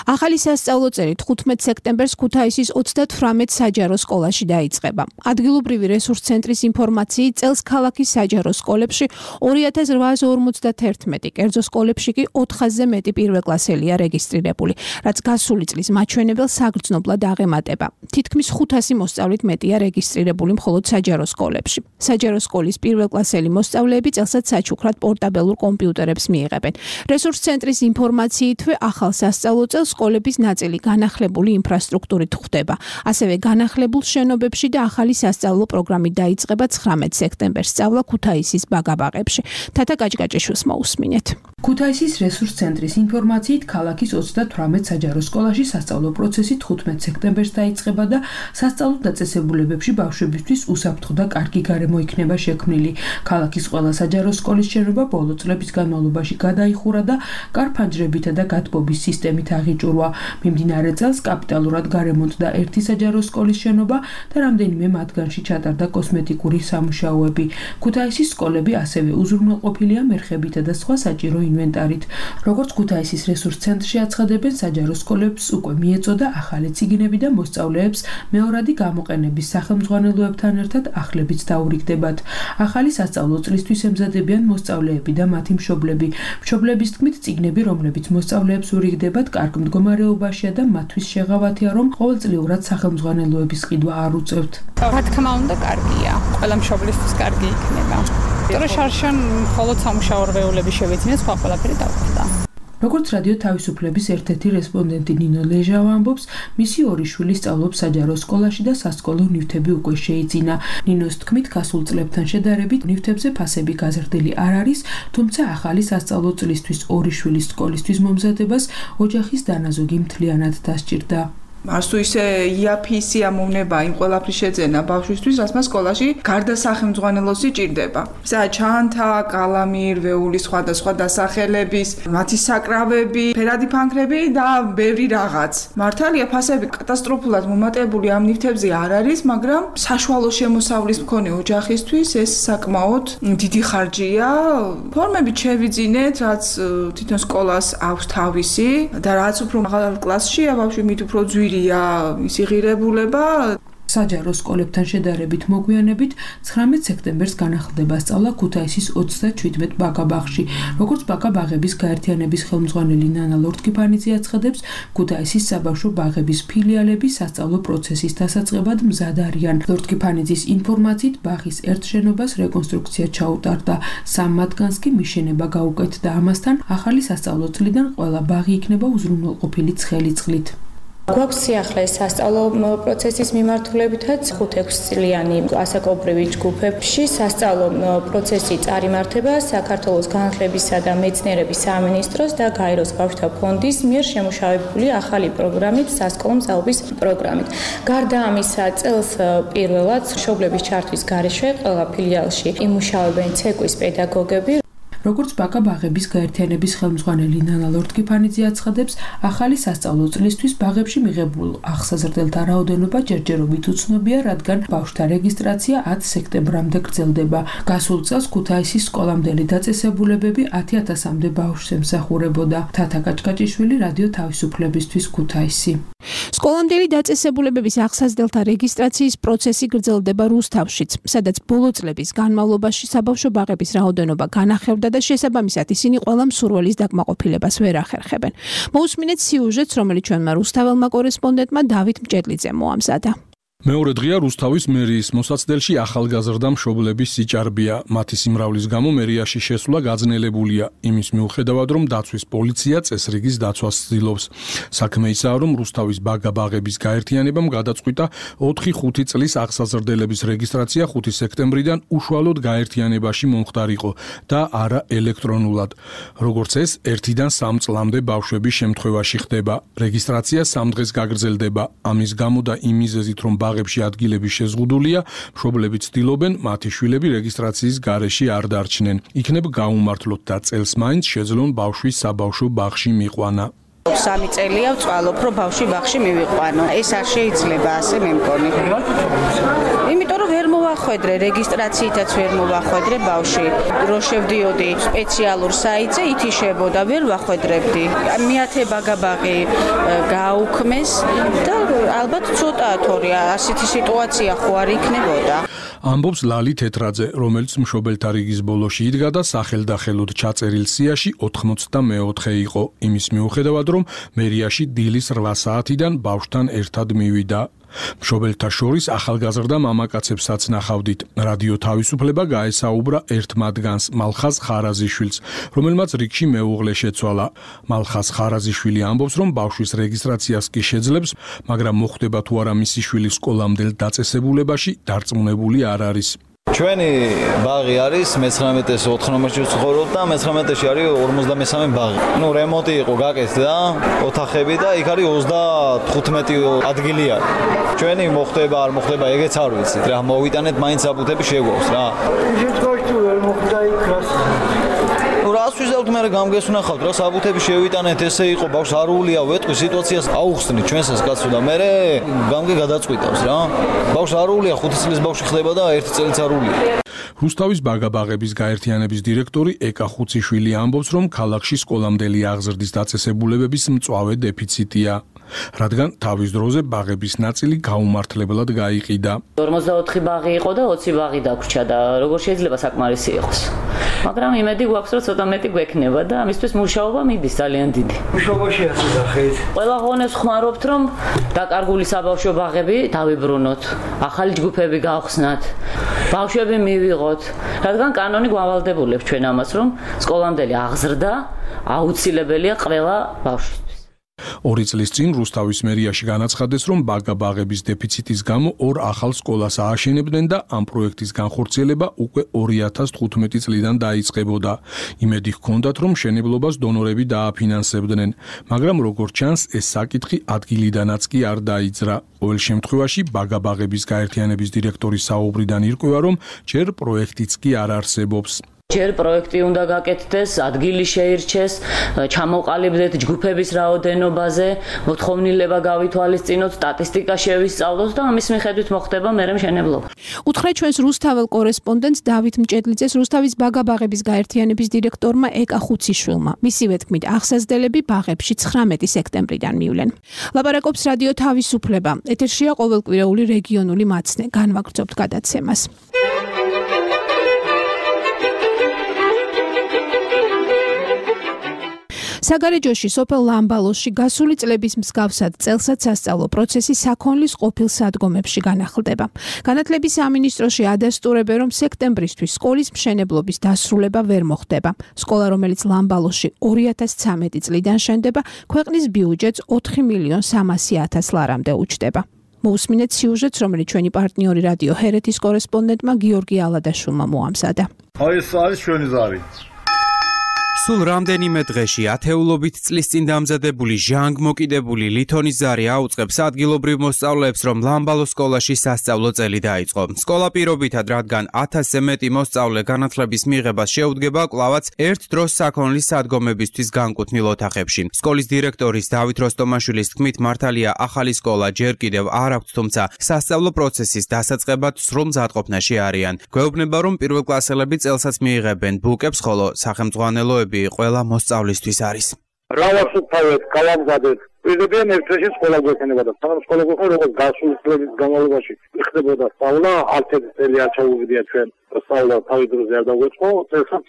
[SPEAKER 8] ახალი სასწავლო წელი 15 სექტემბერს ქუთაისის 38 საჯარო სკოლაში დაიწყება. ადგილობრივი რესურს ცენტრის ინფორმაციით წელს ქალაქის საჯარო სკოლებში 2851, კერძო სკოლებში კი 400-ზე მეტი პირველკლასელია რეგისტრირებული, რაც გასული წლის მაჩვენებელს საგრძნობლად აღემატება. თითქმის 500 მოსწავლით მეტია რეგისტრირებული მხოლოდ საჯარო სკოლებში. საჯარო სკოლის პირველკლასელი მოსწავლეები წელსაც საჩუქრად პორტაბელურ კომპიუტერებს მიიღებენ. რესურს ცენტრის ინფორმაციითვე ახალ სასწავლო წელს სკოლების ნაწილი განახლებული ინფრასტრუქტურით ხვდება. ასევე განახლებულ შენობებში და ახალი სასწავლო პროგრამით დაიწყება 19 სექტემბერს სწავლა ქუთაისის ბაგაბაღებში. თათა გაჭგაჭიშვილს მოусმინეთ.
[SPEAKER 10] ქუთაისის რესურს ცენტრის ინფორმაციით ქალაქის 38 საჯარო სკოლაში სასწავლო პროცესი 15 სექტემბერს დაიწყება და სასწავლო დაწესებულებებში ბავშვებისთვის უსაფრთხო და კარგი გარემო იქნება შექმნილი. ქალაქის ყველა საჯარო სკოლის შენობა ბოლო წლების განმავლობაში გადაიხურა და კარფანჯრებითა და გათბობის სისტემით აღიჭურვა. მიმდინარე წელს კაპიტალურად გარემონტდა ერთი საჯარო სკოლის შენობა და რამდენიმე მათგანში ჩატარდა კოსმეტიკური სამუშაოები. ქუთაისის სკოლები ასევე უზრუნველყოფილია მერხებითა და სხვა საჭირო ინვენტარით. როგორც ქუთაისის რესურს ცენტრში აცხადებენ, საჯარო სკოლებს უკვე მიეწოდა ახალი წიგნები და მოსწავლეებს მეორადი გამოყენების სახელმძღვანელოებთან ერთად ახლებიც დაურიგდებათ. ახალი სასწავლო წლისთვის ემზადებიან მოსწავლეები და მათი მშობლები. მშობლების თქმით, წიგნები, რომლებიც მოსწავლეებს ურიგდებათ, კარგ მდგომარეობაშია და მათთვის შეღავათია, რომ ყოველწლიურად სახელმძღვანელოების ყიდვა არ უწევთ.
[SPEAKER 23] რა თქმა უნდა, კარგია. ყველა მშობლისთვის კარგი იქნება. იმიტომ შარშან მხოლოდ სამუშაო რვეულები შევეძინეთ, სხვა ყველაფერი დავხვდა.
[SPEAKER 10] როგორც რადიო თავისუფლების ერთ-ერთი რესპონდენტი ნინო ლეჟავა ამბობს, მისი ორი შვილი სწავლობს საჯარო სკოლაში და სასკოლო ნივთები უკვე შეიძინა. ნინოს თქმით, გასულ წლებთან შედარებით ნივთებზე ფასები გაზრდილი არ არის, თუმცა ახალი სასწავლო წლისთვის ორი შვილის სკოლისთვის მომზადებას ოჯახის დანაზოგი მთლიანად დასჭირდა.
[SPEAKER 6] მარს თუ ისე იაფის ამოვნება იმ ყველაფრის შეძენა ბავშვისთვის, რაც მას სკოლაში გარდა სახელმძღვანელოსი ჭირდება. ისა ჩანთა, კალამი, რვეული, სხვადასხვა დასახელების, მათი საკრავები, ფერადი ფანქრები და ბევრი რაღაც. მართალია ფასები კატასტროფულად მომატებული ამ ნივთებზე არ არის, მაგრამ საშუალო შემოსავლის მქონე ოჯახისთვის ეს საკმაოდ დიდი ხარჯია. ფორმებით შევიძინეთ, რაც თვითონ სკოლას აქვს თავისი და რაც უფრო მაღალ კლასშია ბავშვი, მით უფრო ძვირია ის იღირებულება.
[SPEAKER 10] საჯარო სკოლებთან შედარებით მოგვიანებით 19 სექტემბერს განახლდება სწავლა ქუთაისის 37 ბაგაბაღში. როგორც ბაგაბაღების გაერთიანების ხელმძღვანელი ნანა ლორთქიფანიძე აცხადებს, ქუთაისის საბავშვო ბაღების ფილიალები სასწავლო პროცესის დასაწყებად მზად არიან. ლორთქიფანიძის ინფორმაციით, ბაღის ერთ შენობას რეკონსტრუქცია ჩაუტარდა, 3 მათგანს კი მიშენება გაუკეთდა. ამასთან ახალი სასწავლო წლიდან ყველა ბაღი იქნება უზრუნველყოფილი ცხელი წყლით.
[SPEAKER 24] გვაქვს სიახლე სასწავლო პროცესის მიმართულებითაც 5-6 წლიანი ასაკობრივი ჯგუფებში სასწავლო პროცესი წარიმართება საქართველოს განათლებისა და მეცნიერების სამინისტროს და გაეროს ბავშვთა ფონდის მიერ შემუშავებული ახალი პროგრამით, სასკოლო მზაობის პროგრამით. გარდა ამისა, წელს პირველად მშობლების ჩართვის გარეშე ყველა ფილიალში იმუშავებენ ცეკვის პედაგოგები.
[SPEAKER 10] როგორც ბაგაბაღების გაერთიანების ხელმძღვანელი ნანა ლორთქიფანიძე აცხადებს, ახალი სასწავლო წლისთვის ბაღებში მიღებულ ახსაზრდელთა რაოდენობა ჯერჯერობით უცნობია, რადგან ბავშვთა რეგისტრაცია 10 სექტემბრამდე გრძელდება. გასულ წელს ქუთაისის სკოლამდელი დაწესებულებები 10,000-მდე ბავშვს ემსახურებოდა. თათა გაჭგაჭიშვილი, რადიო თავისუფლებისთვის, ქუთაისი.
[SPEAKER 8] სკოლამდელი დაწესებულებების ახსაზრდელთა რეგისტრაციის პროცესი გრძელდება რუსთავშიც, სადაც ბოლო წლების განმავლობაში საბავშვო ბაღების რაოდენობა განახევდა და შესაბამისად ისინი ყველა მსურველის დაკმაყოფილებას ვერ ახერხებენ. მოусმინეთ სიუჟეტს, რომელიც ჩვენმა რუსთაველმა კორესპონდენტმა დავით მჭედლიძემ მოამზადა.
[SPEAKER 9] მეორე დღეა რუსთავის მერიის მოსაცდელში ახალგაზრდა მშობლების სიჭარბია. მათი სიმრავლის გამო მერიაში შესვლა გაძნელებულია, იმის მიუხედავად, რომ დაცვის პოლიცია წესრიგის დაცვას ცდილობს. საქმე ისაა, რომ რუსთავის ბაგაბაღების გაერთიანებამ გადაწყვიტა 4-5 წლის ახსაზრდელების რეგისტრაცია 5 სექტემბრიდან უშუალოდ გაერთიანებაში მომხდარიყო და არა ელექტრონულად. როგორც ეს, 1-დან 3 წლამდე ბავშვების შემთხვევაში ხდება. რეგისტრაცია 3 დღეს გაგრძელდება. ამის გამო და იმ მიზეზით, რომ ბაღებში ადგილები შეზღუდულია, მშობლები ცდილობენ მათი შვილები რეგისტრაციის გარეშე არ დარჩნენ. იქნებ გაუმართლოთ და წელს მაინც შეძლონ ბავშვის საბავშვო ბაღში მიყვანა.
[SPEAKER 3] 3 წელია ვწვალობ, რომ ბავშვი ბაღში მივიყვანო. ეს არ შეიძლება ასე მე მგონი. იმიტომ რომ ვერ მოვახვედრე, რეგისტრაციითაც ვერ მოვახვედრე ბავშვი. რო შევდიოდი სპეციალურ საიტზე, ითიშებოდა, ვერ ვახვედრებდი. მეათე ბაგაბაღი გააუქმეს და ალბათ ცოტაა თორე ასეთი სიტუაცია ხო არ იქნებოდა.
[SPEAKER 9] ამბობს ლალი თეთრაძე, რომელიც მშობელთა რიგის ბოლოში იდგა და სახელდახელოდ ჩაწერილ სიაში 84 იყო. იმის მიუხედავად, რომ მერიაში დილის 8 საათიდან ბავშვთან ერთად მივიდა. მშობელთა შორის ახალგაზრდა მამაკაცებსაც ნახავდით. რადიო თავისუფლება გაესაუბრა ერთ მათგანს, მალხაზ ხარაზიშვილს, რომელმაც რიგში მეუღლე შეცვალა. მალხაზ ხარაზიშვილი ამბობს, რომ ბავშვის რეგისტრაციას კი შეძლებს, მაგრამ მოხვდება თუ არა მისი შვილი სკოლამდელ დაწესებულებაში, დარწმუნებული არ არის.
[SPEAKER 12] ჩვენი ბაღი არის 19-ეს 4 ნომერში ვცხოვრობ და 19-ში არის 53 ბაღი. რემონტი იყო გაკეთდა ოთახები და იქ არის 35 ადგილი არის. ჩვენი მოხდება არ მოხდება ეგეც არ ვიცით რა, მოვიტანეთ მაინც აბუთები შეგვაქვს რა.
[SPEAKER 14] შეგვაქვს ვერ მოხდა იქ რას.
[SPEAKER 12] რას ვიზავთ მე გამგესუნახავთ რა, საბუთები შევიტანეთ, ესე იყო ბავშვს არულია, ვეტყვი სიტუაციას აუხსნით ჩვენსაც კაცო და მე გამგე გადაწყვიტავს რა. ბავშვს არულია, 5 წლის ბავშვი ხდება და 1 წელიც არულია.
[SPEAKER 9] რუსთავის ბაგაბაღების გაერთიანების დირექტორი ეკა ხუციშვილი ამბობს, რომ ქალაქში სკოლამდელი აღზრდის დაწესებულებების მწვავე დეფიციტია, რადგან თავის დროზე ბაღების ნაწილი გაუმართლებლად გაიყიდა.
[SPEAKER 15] 44 ბაღი იყო და 20 ბაღი დაგვრჩა და როგორ შეიძლება საკმარისი იყოს. მაგრამ იმედი გვაქვს, რომ ცოტა მეტი გვექნება და ამისთვის მუშაობა მიდის ძალიან დიდი.
[SPEAKER 14] მუშაობაში ასახეთ.
[SPEAKER 15] ყველა ღონეს ხმარობთ, რომ დაკარგული საბავშვო ბაღები დავიბრუნოთ, ახალი ჯგუფები გავხსნათ, ბავშვები მივიღოთ, რადგან კანონი გვავალდებულებს ჩვენ ამას, რომ სკოლამდელი აღზრდა აუცილებელია ყველა ბავშვისთვის.
[SPEAKER 9] 2 წლის წინ რუსთავის მერიაში განაცხადეს, რომ ბაგაბაღების დეფიციტის გამო 2 ახალ სკოლას ააშენებდნენ და ამ პროექტის განხორციელება უკვე 2015 წლიდან დაიწყებოდა. იმედი ჰქონდათ, რომ მშენებლობას დონორები დააფინანსებდნენ, მაგრამ როგორც ჩანს, ეს საკითხი ადგილიდანაც კი არ დაიძრა. ყოველ შემთხვევაში ბაგაბაღების გაერთიანების დირექტორის საუბრიდან ირკვევა, რომ ჯერ პროექტიც კი არ არსებობს.
[SPEAKER 15] ჯერ პროექტი უნდა გაკეთდეს, ადგილი შეირჩეს, ჩამოყალიბდეთ ჯგუფების რაოდენობაზე, მოთხოვნილება გავითვალისწინოთ, სტატისტიკა შევისწავლოთ და ამის მიხედვით მოხდება მერე მშენებლობა.
[SPEAKER 8] უთხრეთ ჩვენს რუსთაველ კორესპონდენტს დავით მჭედლიძეს, რუსთავის ბაგაბაღების გაერთიანების დირექტორმა ეკა ხუციშვილმა. მისივე თქმით, აღსაზრდელები ბაღებში 19 სექტემბრიდან მივლენ. ლაპარაკობს რადიო თავისუფლება. ეთერშია ყოველკვირეული რეგიონული მაცნე. განვაგრძობთ გადაცემას. საგარეჯოში სოფელ ლამბალოსში გასული წლების მსგავსად წელსაც სასწავლო პროცესი საქონლის ყოფილ სადგომებში განახლდება. განათლების სამინისტროში ადასტურებენ, რომ სექტემბრისთვის სკოლის მშენებლობის დასრულება ვერ მოხდება. სკოლა, რომელიც ლამბალოსში 2013 წლიდან შენდება, ქვეყნის ბიუჯეტს 4.300.000 ლარამდე უჯდება. მოусმინეთ სიუჟეტს, რომელიც ჩვენი პარტნიორი რადიო ჰერეთის კორესპონდენტმა გიორგი ალადაშვილმა მოამზადა.
[SPEAKER 25] აი ეს არის ჩვენი ზარი.
[SPEAKER 26] სულ რამდენიმე დღეში ათეულობით წლის წინ დამზადებული ჟანგმოკიდებული ლითონის ზარი აუწყებს ადგილობრივ მოსწავლეებს, რომ ლამბალოს სკოლაში სასწავლო წელი დაიწყო. სკოლა პირობითად, რადგან 1000-ზე მეტი მოსწავლე განათლების მიღებას შეუდგება, კვლავაც ერთ დროს საქონლის სადგომებისთვის განკუთვნილ ოთახებში. სკოლის დირექტორის დავით როსტომაშვილის თქმით, მართალია ახალი სკოლა ჯერ კიდევ არ აქვს, თუმცა სასწავლო პროცესის დასაწყებად სრულ მზადყოფნაში არიან. გვეუბნება, რომ პირველკლასელები წელსაც მიიღებენ ბუკებს, ხოლო სახელმძღვანელოები ყველა მოსწავლისთვის არის.
[SPEAKER 25] რავასუფთავეთ, კალამზადეთ. პირდებიან ერთ დღეში სკოლა გვექნება და სანამ სკოლა გვექნება, როგორც გასული წლების განმავლობაში იხდებოდა სწავლა, არც ერთი წელი არ ჩაუვიდია ჩვენ სწავლა თავის დროზე არ დაგვეწყო, წელსაც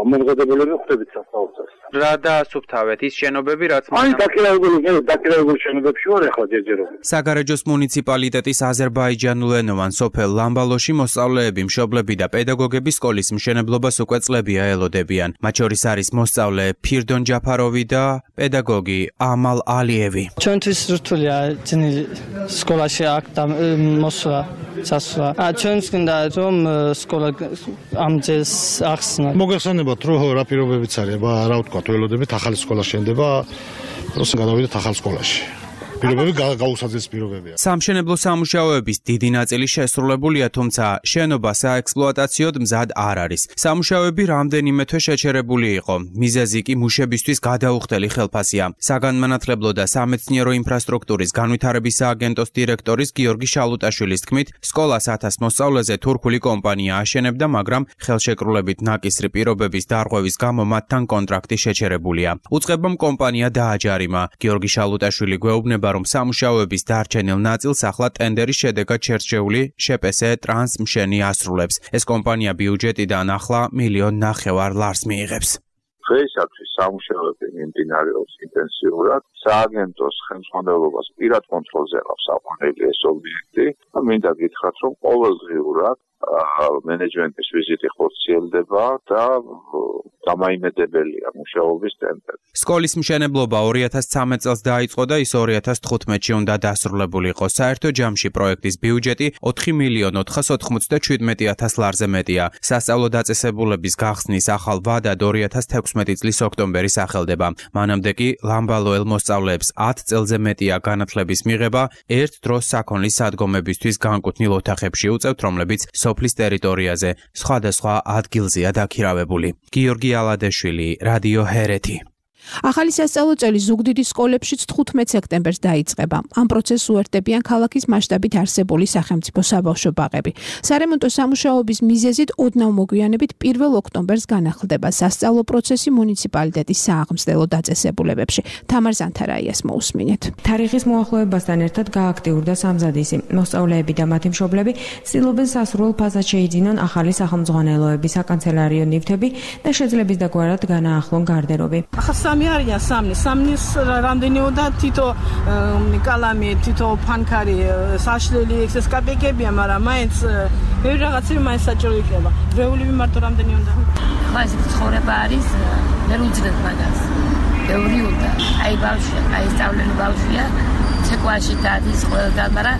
[SPEAKER 25] მომზადებელები ხვდებით სასწავლოს.
[SPEAKER 26] რა დაასუფთავეთ ის შენობები, რაც
[SPEAKER 25] აი დაქირავებული შენობებში ვარ ახლა ჯერჯერობით.
[SPEAKER 26] საგარეჯოს მუნიციპალიტეტის აზერბაიჯანულენოვან სოფელ ლამბალოში მოსწავლეები, მშობლები და პედაგოგები სკოლის მშენებლობას უკვე წლებია ელოდებიან. მათ შორის არის მოსწავლე ფირდონ ჯაფაროვი და პედაგოგი ამალ ალიევი.
[SPEAKER 27] ჩვენთვის რთულია ძნელი სკოლაში აქ მოსვლა, წასვლა. ჩვენს გინდა რომ სკოლა ამ ძეს ახსნათ.
[SPEAKER 7] მოგეხსენებათ, რომ რა პირობებიც არის, რა ვთქვათ, ველოდებით ახალი სკოლა შენდება, როცა გადავიდეთ ახალ სკოლაში. პირობები გაუსაძეს პირობებია.
[SPEAKER 26] სამშენებლო სამუშაოების დიდი ნაწილი შესრულებულია, თუმცა შენობა საექსპლუატაციოდ მზად არ არის. სამუშაოები რამდენიმე თვე შეჩერებული იყო. მიზეზი კი მუშებისთვის გადაუხდელი ხელფასია. საგანმანათლებლო და სამეცნიერო ინფრასტრუქტურის განვითარების სააგენტოს დირექტორის გიორგი შალუტაშვილის თქმით, სკოლას 1000 მოსწავლეზე თურქული კომპანია აშენებდა, მაგრამ ხელშეკრულებით ნაკისრი პირობების დარღვევის გამო მათთან კონტრაქტი შეჩერებულია. უწყებამ კომპანია დააჯარიმა. გიორგი შალუტაშვილი გვეუბნება, რომ სამუშაოების დარჩენილ ნაწილს ახლა ტენდერის შედეგად შერჩეული შპს ტრანსმშენი ასრულებს. ეს კომპანია ბიუჯეტიდან ახლა 1.5 მილიონ ლარს მიიღებს.
[SPEAKER 1] დღეისათვის სამუშაოები მიმდინარეობს ინტენსიურად. სააგენტოს ხელმძღვანელობას პირად კონტროლზე აქვს აყვანილი ეს ობიექტი. მინდა გითხრათ, რომ ყოველდღიურად მენეჯმენტის ვიზიტი ხორციელდება და დამაიმედებელია მუშაობის ტემპები.
[SPEAKER 26] სკოლის მშენებლობა 2013 წელს დაიწყო და ის 2015-ში უნდა დასრულებულიყო. საერთო ჯამში პროექტის ბიუჯეტი 4.497.000 ლარზე მეტია. სასწავლო დაწესებულების გახსნის ახალ ვადად 2016 წლის ოქტომბერი სახელდება. მანამდე კი ლამბალოელ მოსწავლეებს 10 წელზე მეტია განათლების მიღება, ერთ დროს საქონლის სადგომებისთვის განკუთვნილ ოთახებში უწევთ, რომლებიც სოფლის ტერიტორიაზე სხვადასხვა ადგილზეა დაქირავებული. გიორგი ალადეშვილი, რადიო ჰერეთი.
[SPEAKER 8] ახალი სასწავლო წელი ზუგდიდის სკოლებშიც 15 სექტემბერს დაიწყება. ამ პროცესს უერთდებიან ქალაქის მასშტაბით არსებული სახელმწიფო საბავშვო ბაღები. სარემონტო სამუშაოების მიზეზით ოდნავ მოგვიანებით 1 ოქტომბერს განახლდება სასწავლო პროცესი მუნიციპალიტეტის სააღმსდელო დაწესებულებებში. თამარ ზანთარაიას მოусმინეთ.
[SPEAKER 4] თარიღის მოახლოებასთან ერთად გააქტიურდა სამზადისი. მოსწავლეები და მათი მშობლები ცდილობენ სასურველ ფაზად შეიძინონ ახალი სახელმძღვანელოების საკანცელერიო ნივთები და შეძლების დაგვარად განაახლონ გარდერობი.
[SPEAKER 5] სამი არიან სამნის რამდენიოდა თითო კალამი, თითო ფანქარი, საშლელი ექსეს კაპიკებია, მაგრამ მაინც ბევრი რაღაცები მაინც საჭირო იქნება. ვეულები მარტო რამდენი უნდა?
[SPEAKER 11] ხო, ეს ცხოვრება არის, ვერ უძლებთ მაგას. ბევრი უნდა. აი ბავშვია, აი სწავლელი ბავშვია, ცეკვაში დადის ყველგან, მაგრამ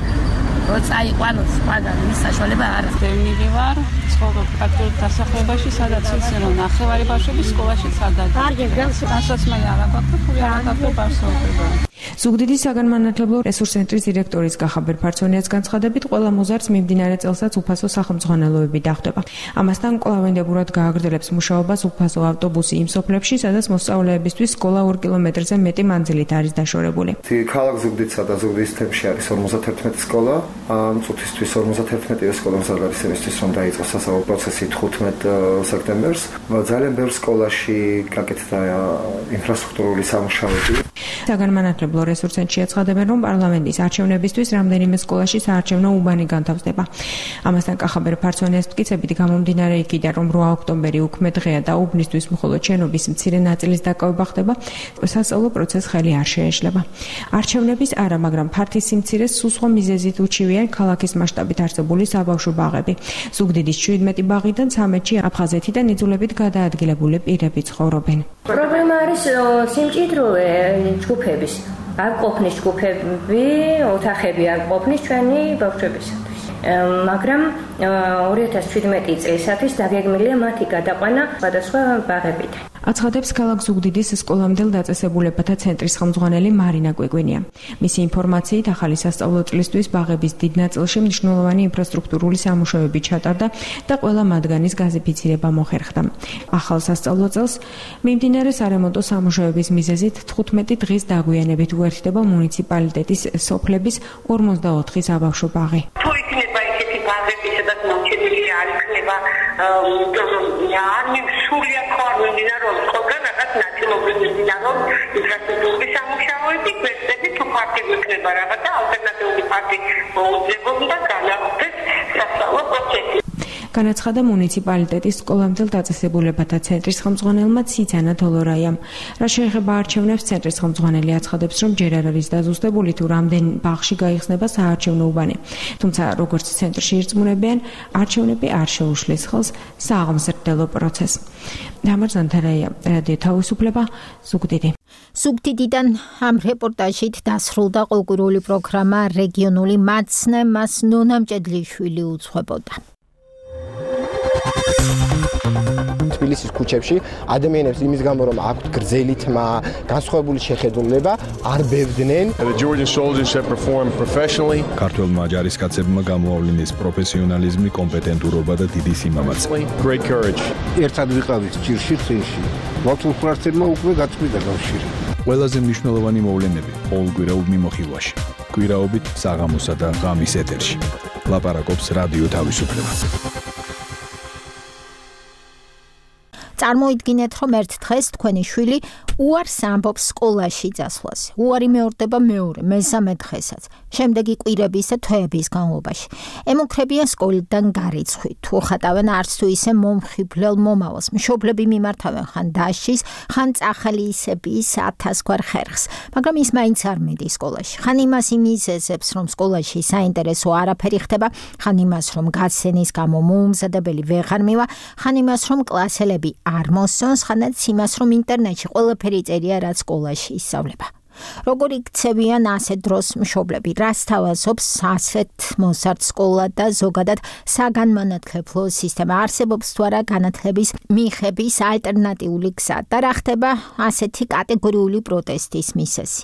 [SPEAKER 11] როცა აიყვანოს მაგას მის საშუალება არ აქვს.
[SPEAKER 23] დევნილი ვარ, ცხოვრობ კათოლიკ დასახლებაში, სადაც ისინი ნახევარი ბავშვები სკოლაში სადაც.
[SPEAKER 11] კარგი,
[SPEAKER 23] განსაცმელი არ აქვს, თუ არ აქვს ბავშვობა.
[SPEAKER 4] ზუგდიდის საგანმანათლებლო რესურს-ცენტრის დირექტორის კახაბერ ფარცონიას განცხადებით, ყველა მოზარდს მიმდინარე წელსაც უფასო სახელმძღვანელოები დახვდება. ამასთან კვლავინდებურად გააგრძელებს მუშაობას უფასო ავტობუსი იმ სოფლებში, სადაც მოსწავლეებისთვის სკოლა 2 კილომეტრზე მეტი მანძილით არის დაშორებული.
[SPEAKER 13] ქალაქ ზუგდიდსა და ზუგდიდის თემში არის 51 სკოლა. ამ წუთისთვის 51 სკოლა არის იმისთვის, რომ დაიწყოს სასწავლო პროცესი 15 სექტემბერს. ძალიან ბევრ სკოლაში გაკეთდა ინფრასტრუქტურული სამუშაოები.
[SPEAKER 4] საგანმანათლებლო რესურს-ცენტრში აცხადებენ, რომ პარლამენტის არჩევნებისთვის რამდენიმე სკოლაში საარჩევნო უბანი განთავსდება. ამასთან კახაბერ ფარცონიას მტკიცებით გამომდინარე იქიდან, რომ 8 ოქტომბერი უქმე დღეა და უბნისთვის მხოლოდ შენობის მცირე ნაწილის დაკავება ხდება, სასწავლო პროცესს ხელი არ შეეშლება. არჩევნების არა, მაგრამ ფართის სიმცირეს სულ სხვა მიზეზით უჩივიან ქალაქის მასშტაბით არსებული საბავშვო ბაღები. ზუგდიდის 17 ბაღიდან 13-ში აფხაზეთიდან იძულებით გადაადგილებული პირები ცხოვრობენ.
[SPEAKER 11] პრობლემა არის სიმჭიდროვე ჯგუფების. არ ყოფნის ჯგუფები, ოთახები არ ყოფნის ჩვენი ბავშვებისათვის. მაგრამ 2017 წლისათვის დაგეგმილია მათი გადაყვანა სხვადასხვა ბაღებიდან.
[SPEAKER 4] აცხადებს ქალაქ ზუგდიდის სკოლამდელ დაწესებულებათა ცენტრის ხელმძღვანელი მარინა კვიკვინია. მისი ინფორმაციით, ახალი სასწავლო წლისთვის ბაღების დიდ ნაწილში მნიშვნელოვანი ინფრასტრუქტურული სამუშაოები ჩატარდა და ყველა მათგანის გაზიფიცირება მოხერხდა. ახალ სასწავლო წელს მიმდინარე სარემონტო სამუშაოების მიზეზით 15 დღის დაგვიანებით უერთდება მუნიციპალიტეტის სოფლების 54 საბავშვო ბაღი.
[SPEAKER 16] თუ იქნება ისეთი ბაღები, სადაც მოჩენილი არ იქნება არ სულიად ხო არ მიმდინარეობს ხოლმე რაღაც ნაწილობრივ მიმდინარეობს ინფრასტრუქტურის სამუშაოები, გვერდები თუ ფართი გვექნება რაღაცა ალტერნატიული ფართი მოუძებობდა განახლდეს სასწავლო პროცესი.
[SPEAKER 4] განაცხადა მუნიციპალიტეტის სკოლამდელ დაწესებულებათა ცენტრის ხელმძღვანელმა ციცანა თოლორაიამ. რა შეეხება არჩევნებს, ცენტრის ხელმძღვანელი აცხადებს, რომ ჯერ არ არის დაზუსტებული თუ რამდენ ბაღში გაიხსნება საარჩევნო უბანი. თუმცა, როგორც ცენტრში ირწმუნებიან, არჩევნები არ შეუშლის ხელს სააღმზრდელო პროცესს. თამარ ზანთარაია, რადიო თავისუფლება, ზუგდიდი.
[SPEAKER 2] ზუგდიდიდან ამ რეპორტაჟით დასრულდა კულტურული პროგრამა რეგიონული მაცნე, მას ნონა მჭედლიშვილი უძღვებოდა.
[SPEAKER 6] თბილისის ქუჩებში ადამიანებს იმის გამო რომ აქვთ გრძელი თმა, განსხვავებული შეხედულება, არ ბევდნენ.
[SPEAKER 17] The Georgian soldiers have performed professionally.
[SPEAKER 18] ქართველმა ჯარისკაცებმა გამოავლინეს პროფესიონალიზმი, კომპეტენტურობა და დიდი სიმამაცე.
[SPEAKER 17] Great courage.
[SPEAKER 19] ერთად ვიყავით ჭირში წინში. მართულ ფრთებმა უკვე გაწყვიტა კავშირი.
[SPEAKER 18] ყველაზე მნიშვნელოვანი მოვლენები ყოველკვირეულ მიმოხილვაში. კვირაობით საღამოსა და ღამის ეთერში. ლაპარაკობს რადიო თავისუფლება.
[SPEAKER 2] წარმოიდგინეთ, რომ ერთ დღეს თქვენი შვილი უარს ამბობს სკოლაში წასვლაზე. უარი მეორდება მეორე, მესამე დღესაც. შემდეგი კვირების და თვეების განმავლობაში. ემუქრებიან სკოლიდან გარიცხვით. თუ ხატავენ არც თუ ისე მომხიბვლელ მომავალს. მშობლები მიმართავენ ხან დაშის, ხან წახალისების 1000 გვარ ხერხს. მაგრამ ის მაინც არ მიდის სკოლაში. ხან იმას იმიზეზებს, რომ სკოლაში საინტერესო არაფერი ხდება, ხან იმას, რომ გაცენის გამო მოუმზადებელი ვეღარ მივა, ხან იმას, რომ კლასელები არ მოსწონს, ხანაც იმას, რომ ინტერნეტში ყველაფერი წერია, რაც სკოლაში ისწავლება. როგორი ქცევიან ასეთ დროს მშობლები, რას თავაზობს ასეთ მოზარდ სკოლა და ზოგადად საგანმანათლებლო სისტემა, არსებობს თუ არა განათლების მიღების ალტერნატიული გზა და რა ხდება ასეთი კატეგორიული პროტესტის მიზეზი.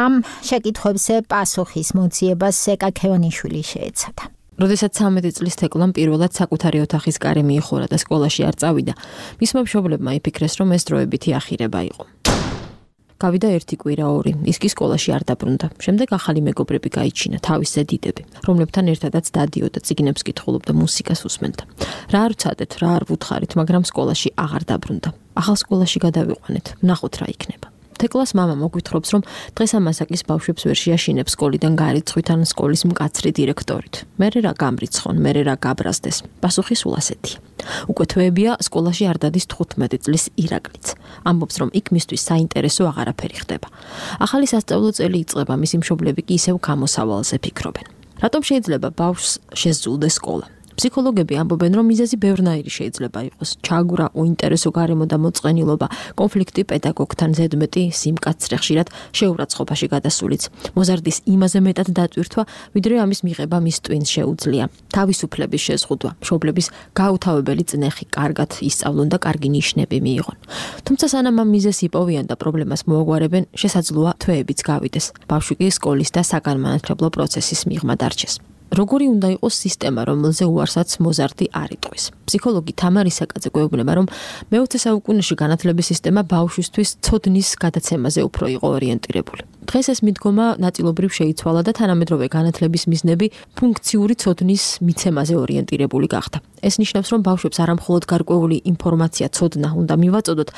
[SPEAKER 2] ამ შეკითხვებზე პასუხის მოძიებას ზეკა ქევანიშვილი შეეცადა.
[SPEAKER 19] როდესაც 13 წლის თეკლამ პირველად საკუთარი ოთახის კარი მიიხურა და სკოლაში არ წავიდა, მისმა მშობლებმა იფიქრეს, რომ ეს დროებითი ახირება იყო. გავიდა ერთი კვირა ორი, ის კი სკოლაში არ დაბრუნდა. შემდეგ ახალი მეგობრები გაიჩინა, თავისზე დიდები, რომლებთან ერთადაც დადიოდა, წიგნებს კითხულობდა, მუსიკას უსმენდა. რა არ ვცადეთ, რა არ ვუთხარით, მაგრამ სკოლაში აღარ დაბრუნდა. ახალ სკოლაში გადავიყვანეთ, ვნახოთ რა იქნება. თეკლას მამა მოგვითხრობს, რომ დღეს ამასაკის ბავშვებს ვერ შეაშინებს სკოლიდან გარიცხვით ან სკოლის მკაცრი დირექტორით. მერე რა გამრიცხონ, მერე რა გაბრაზდეს. პასუხი სულ ასეთია. უკვე თვეებია სკოლაში არ დადის 15 წლის ირაკლიც. ამბობს, რომ იქ მისთვის საინტერესო აღარაფერი ხდება. ახალი სასწავლო წელი იწყება, მისი მშობლები კი ისევ გამოსავალზე ფიქრობენ. რატომ შეიძლება ბავშვს შესძულდეს სკოლა? ფსიქოლოგები ამბობენ, რომ მიზეზი ბევრნაირი შეიძლება იყოს. ჩააგურა უინტერესო გარემო და მოწყენილობა, კონფლიქტი პედაგოგთან, ზედმეტი სიმკაცრე, ხშირად შეურაცხყოფაში გადასულიც. მოზარდის იმაზე მეტად დატვირთვა, ვიდრე ამის მიღება მის ტვინს შეუძლია. თავისუფლების შეზღუდვა, მშობლების გაუთავებელი წნეხი, კარგად ისწავლონ და კარგი ნიშნები მიიღონ. თუმცა სანამ ამ მიზეზს იპოვიან და პრობლემას მოაგვარებენ, შესაძლოა თვეებიც გავიდეს. ბავშვი კი სკოლის და საგანმანათლებლო პროცესის მიღმა დარჩეს. როგორი უნდა იყოს სისტემა, რომელზე უარსაც მოზარდი არ იტყვის. ფსიქოლოგი თამარი საკაძე გვეუბნება, რომ მე-20 საუკუნეში განათლების სისტემა ბავშვისთვის ცოდნის გადაცემაზე უფრო იყო ორიენტირებული. დღეს ეს მიდგომა ნაწილობრივ შეიცვალა და თანამედროვე განათლების მიზნები ფუნქციური ცოდნის მიცემაზე ორიენტირებული გახდა. ეს ნიშნავს, რომ ბავშვებს არა მხოლოდ გარკვეული ინფორმაცია, ცოდნა უნდა მივაწოდოთ,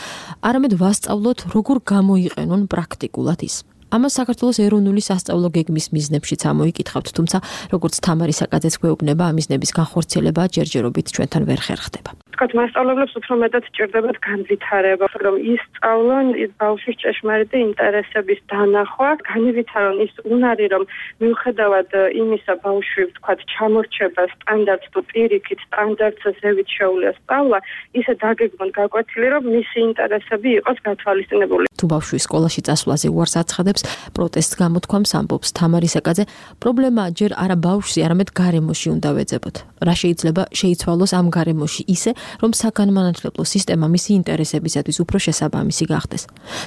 [SPEAKER 19] არამედ ვასწავლოთ, როგორ გამოიყენონ პრაქტიკულად ის. ამას საქართველოს ეროვნული სასწავლო გეგმის მიზნებშიც ამოიკითხავთ, თუმცა როგორც თამარი საკაძეც გვეუბნება, ამ მიზნების განხორციელება ჯერჯერობით ჩვენთან ვერ ხერხდება.
[SPEAKER 20] თქვათ, მასწავლებლებს უფრო მეტად სჭირდებათ განვითარება, რომ ისწავლონ ბავშვის ჭეშმარიტი ინტერესების დანახვა, განვითარონ ის უნარი, რომ მიუხედავად იმისა, ბავშვი თქვათ, ჩამორჩება სტანდარტს თუ პირიქით სტანდარტზე ზევით შეუძლია სწავლა, ისე დაგეგმონ გაკვეთილი, რომ მისი ინტერესები იყოს გათვალისწინებული.
[SPEAKER 19] თუ ბავშვი სკოლაში წასვლაზე უარს აცხადებს, პროტესტს გამოთქვამს, ამბობს თამარი საკაძე, პრობლემა ჯერ არა ბავშვში, არამედ გარემოში უნდა ვეძებოთ. რა შეიძლება შეიცვალოს ამ გარემოში ისე, რომ საგანმანათლებლო სისტემა მისი ინტერესებისათვის უფრო შესაბამისი გახდეს.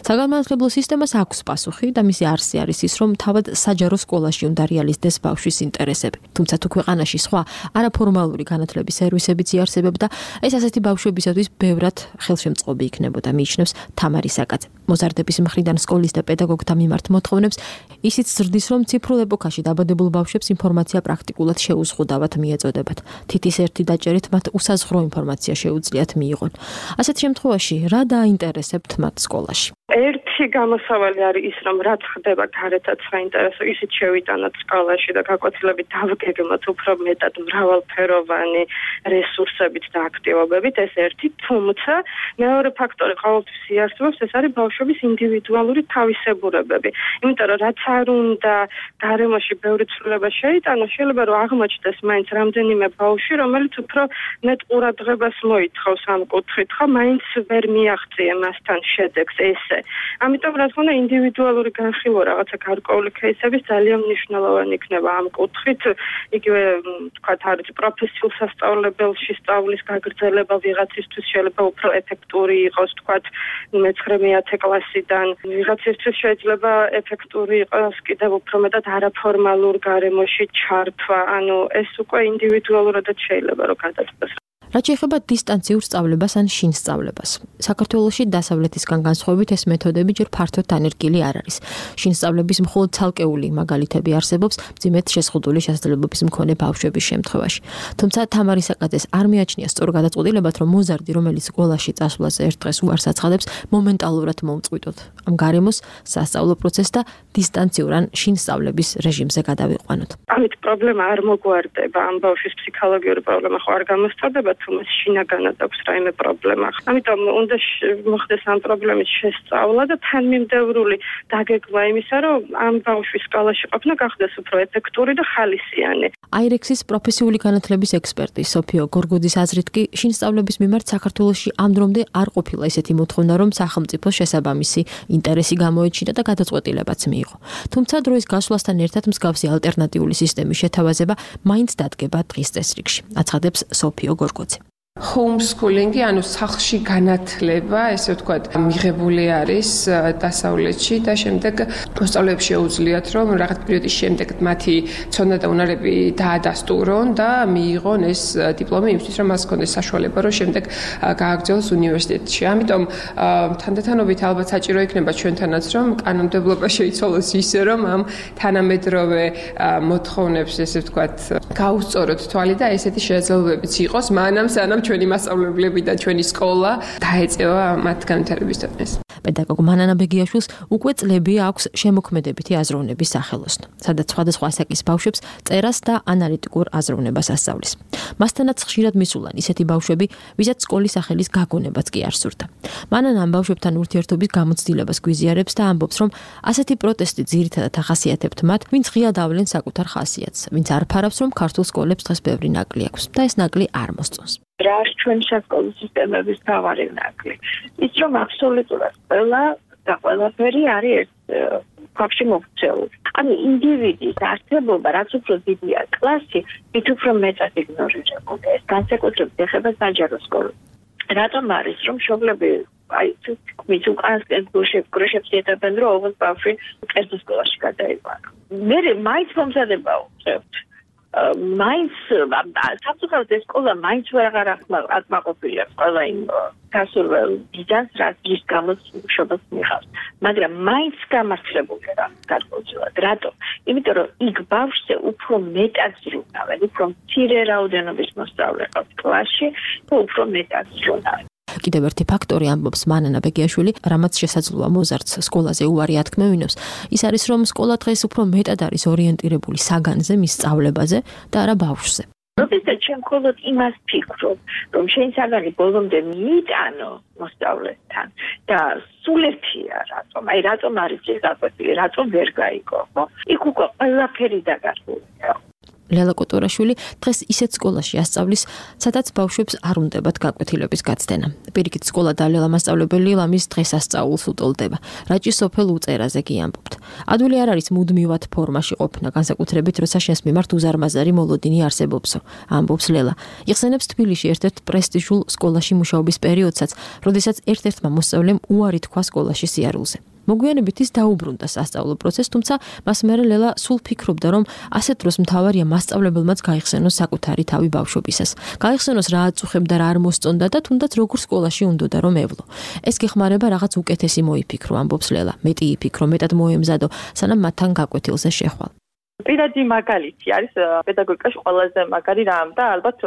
[SPEAKER 19] საგანმანათლებლო სისტემას აქვს პასუხი და მისი არსი არის ის, რომ თავად საჯარო სკოლაში უნდა რეალიზდეს ბავშვის ინტერესები. თუმცა თუ ქვეყანაში სხვა არაფორმალური განათლების სერვისებიც იარსებებდა, ეს ასეთი ბავშვებისათვის ბევრად ხელშემწყობი იქნებოდა, მიიჩნევს თამარი საკაძე. მოზარდების მხრიდან სკოლის და პედაგოგთა მიმართ მოთხოვნებს ისიც ზრდის, რომ ციფრულ ეპოქაში დაბადებულ ბავშვებს ინფორმაცია პრაქტიკულად შეუზღუდავად მიეწოდებათ. თითის ერთი დაჭერით მათ უსაზღვრო ინფორმაცია შეუძლიათ მიიღონ. ასეთ შემთხვევაში რა დააინტერესებთ მათ სკოლაში?
[SPEAKER 20] ერთი გამოსავალი არის ის, რომ რაც ხდება გარეთაც საინტერესო, ისიც შევიტანოთ სკოლაში და გაკვეთილებით დავგეგმოთ უფრო მეტად მრავალფეროვანი რესურსებით და აქტივობებით, ეს ერთი. თუმცა მეორე ფაქტორი ყოველთვის იარსებობს, ეს არის ბავშვი ბავშვების ინდივიდუალური თავისებურებები. იმიტომ რომ რაც არ უნდა გარემოში ბევრი ცვლილება შეიტანოს, შეიძლება რომ აღმოჩნდეს მაინც რამდენიმე ბავშვი, რომელიც უფრო მეტ ყურადღებას მოითხოვს ამ კუთხით, ხო, მაინც ვერ მიაღწია მასთან შედეგს ესე. ამიტომ რა თქმა უნდა ინდივიდუალური განხილვა რაღაცა გარკვეული кейსების ძალიან მნიშვნელოვანი იქნება ამ კუთხით. იგივე თქვათ არის პროფესიულ სასწავლებელში სწავლის გაგრძელება ვიღაცისთვის შეიძლება უფრო ეფექტური იყოს, თქვათ 9-10 კლასიდან. ვიღაცისთვის შეიძლება ეფექტური იყოს კიდევ უფრო მეტად არაფორმალურ გარემოში ჩართვა. ანუ ეს უკვე ინდივიდუალურადაც შეიძლება რომ გადაწყვეტოს.
[SPEAKER 19] რაც შეეხება დისტანციურ სწავლებას ან შინ სწავლებას. საქართველოში დასავლეთისგან განსხვავებით ეს მეთოდები ჯერ ფართოდ დანერგილი არ არის. შინ სწავლების მხოლოდ ცალკეული მაგალითები არსებობს მძიმედ შეზღუდული შესაძლებლობების მქონე ბავშვების შემთხვევაში. თუმცა თამარი საკაძეს არ მიაჩნია სწორ გადაწყვეტილებად, რომ მოზარდი, რომელიც სკოლაში წასვლაზე ერთ დღეს უარს აცხადებს, მომენტალურად მოუწყვიტოთ. ამ გარემოს სასწავლო პროცესს და დისტანციურ ან შინ სწავლების რეჟიმზე გადავიყვანოთ.
[SPEAKER 20] ამით პრობლემა არ მოგვარდება, ამ ბავშვის ფსიქოლოგიური პრობლემა ხო არ გამოსწორდება, თუმცა შინაგანად აქვს რაიმე პრობლემა. ამიტომ უნდა მოხდეს ამ პრობლემის შესწავლა და თანმიმდევრული დაგეგმა იმისა, რომ ამ ბავშვის სკოლაში ყოფნა გახდეს უფრო ეფექტური და ხალისიანი.
[SPEAKER 19] აირექსის პროფესიული განათლების ექსპერტი სოფიო გორგოძის აზრით კი შინ სწავლების მიმართ საქართველოში ამ დრომდე არ ყოფილა ისეთი მოთხოვნა, რომ სახელმწიფოს შესაბამისი ინტერესი გამოეჩინა და გადაწყვეტილებაც მიიღო. თუმცა დროის გასვლასთან ერთად მსგავსი ალტერნატიული სისტემის შეთავაზება მაინც დადგება დღის წესრიგში. აცხადებს სოფიო გორგოძე.
[SPEAKER 3] Homeschooling-ი, ანუ სახლში განათლება, ესე ვთქვათ, მიღებული არის დასავლეთში და შემდეგ მოსწავლეებს შეუძლიათ, რომ რაღაც პერიოდის შემდეგ მათი ცოდნა და უნარები დაადასტურონ და მიიღონ ეს დიპლომი იმისთვის, რომ მას ჰქონდეს საშუალება, რომ შემდეგ გააგრძელოს უნივერსიტეტში. ამიტომ თანდათანობით ალბათ საჭირო იქნება ჩვენთანაც, რომ კანონმდებლობა შეიცვალოს ისე, რომ ამ თანამედროვე მოთხოვნებს, ესე ვთქვათ, გაუსწოროთ თვალი და ესეთი შესაძლებლობებიც იყოს, სანამ ჩვენი მასწავლებლები და ჩვენი სკოლა დაეწევა მათ განვითარების დონეს.
[SPEAKER 19] პედაგოგ მანანა ბეგიაშვილს უკვე წლები აქვს შემოქმედებითი აზროვნების სახელოსნო, სადაც სხვადასხვა ასაკის ბავშვებს წერას და ანალიტიკურ აზროვნებას ასწავლის. მასთანაც ხშირად მისულან ისეთი ბავშვები, ვისაც სკოლის სახელის გაგონებაც კი არ სურდა. მანანა ამ ბავშვებთან ურთიერთობის გამოცდილებას გვიზიარებს და ამბობს, რომ ასეთი პროტესტი ძირითადად ახასიათებთ მათ, ვინც ღიად ავლენ საკუთარ ხასიათს, ვინც არ ფარავს, რომ ქართულ სკოლებს დღეს ბევრი ნაკლი აქვს და ეს ნაკლი არ მოსწონს.
[SPEAKER 10] რა არის ჩვენი სასკოლო სისტემების თავარი ნაკლი? ის რომ აბსოლუტურად ყველა და ყველაფერი არის ერთ ქვაბში მოქცეული. ანუ ინდივიდის არსებობა, რაც უფრო დიდია კლასი, მით უფრო მეტად იგნორირებულია. ეს განსაკუთრებით ეხება საჯარო სკოლებს. რატომ არის, რომ მშობლები მის უკანასკენ გუშებს ეტებენ, რომ ოღონდ ბავშვი კერძო სკოლაში გადაიყვანოს. მე მაინც მომზადება უწევთ. მაინც სამწუხაროდ ეს სკოლა მაინც ვეღარ აკმაყოფილია ყველა იმ გასურველ ბიძანს, რის გამოც მშობელს მიიღავს. მაგრამ მაინც გამართლებულია რა გადმოცემად. რატო? იმიტომ რომ იქ ბავშვზე უფრო მეტად ზრუნავენ, უფრო მცირე რაოდენობის მოსწავლე ყავს კლასში და უფრო მეტად ზრუნავენ.
[SPEAKER 19] კიდევ ერთი ფაქტორი ამბობს მანანა ბეგიაშვილი, რამაც შესაძლოა მოზარდს სკოლაზე უარი ათქმევინოს, ის არის, რომ სკოლა დღეს უფრო მეტად არის ორიენტირებული საგანზე, მის სწავლებაზე და არა ბავშვზე.
[SPEAKER 10] როდესაც ჩვენ მხოლოდ იმას ფიქრობ, რომ შენ საგანი ბოლომდე მიიტანო მოსწავლესთან და სულ ერთია რატომ? აი რატომ არის ეს გაკვეთილი, რატომ ვერ გაიგო, ხო? იქ უკვე ყველაფერი დაგარღვია.
[SPEAKER 19] ლელა კოტორაშვილი დღეს ისეთ სკოლაში ასწავლის, სადაც ბავშვებს არ უნდებათ გაკვეთილების გაცდენა. პირიქით სკოლა და ლელა მასწავლებელი ლამის დღესასწაულს უტოლდება. რაჭი სოფელ უწერაზე კი ამბობთ. ადვილი არ არის მუდმივად ფორმაში ყოფნა, განსაკუთრებით როცა შენს მიმართ უზარმაზარი მოლოდინი არსებობსო, ამბობს ლელა. იხსენებს თბილისში ერთ-ერთ პრესტიჟულ სკოლაში მუშაობის პერიოდსაც, როდესაც ერთ-ერთმა მოსწავლემ უარი თქვა სკოლაში სიარულზე. მოგვიანებით ის დაუბრუნდა სასწავლო პროცესს, თუმცა მას მერე ლელა სულ ფიქრობდა, რომ ასეთ დროს მთავარია მასწავლებელმაც გაიხსენოს საკუთარი თავი ბავშვობისას. გაიხსენოს რა აწუხებდა, რა არ მოსწონდა და თუნდაც როგორ სკოლაში უნდოდა რომ ევლო. ეს გეხმარება რაღაც უკეთესი მოიფიქრო, ამბობს ლელა. მეტი იფიქრო, მეტად მოემზადო, სანამ მათთან გაკვეთილზე შეხვალ.
[SPEAKER 12] პირადი მაგალითი არის პედაგოგიკაში ყველაზე მაგარი რამ და ალბათ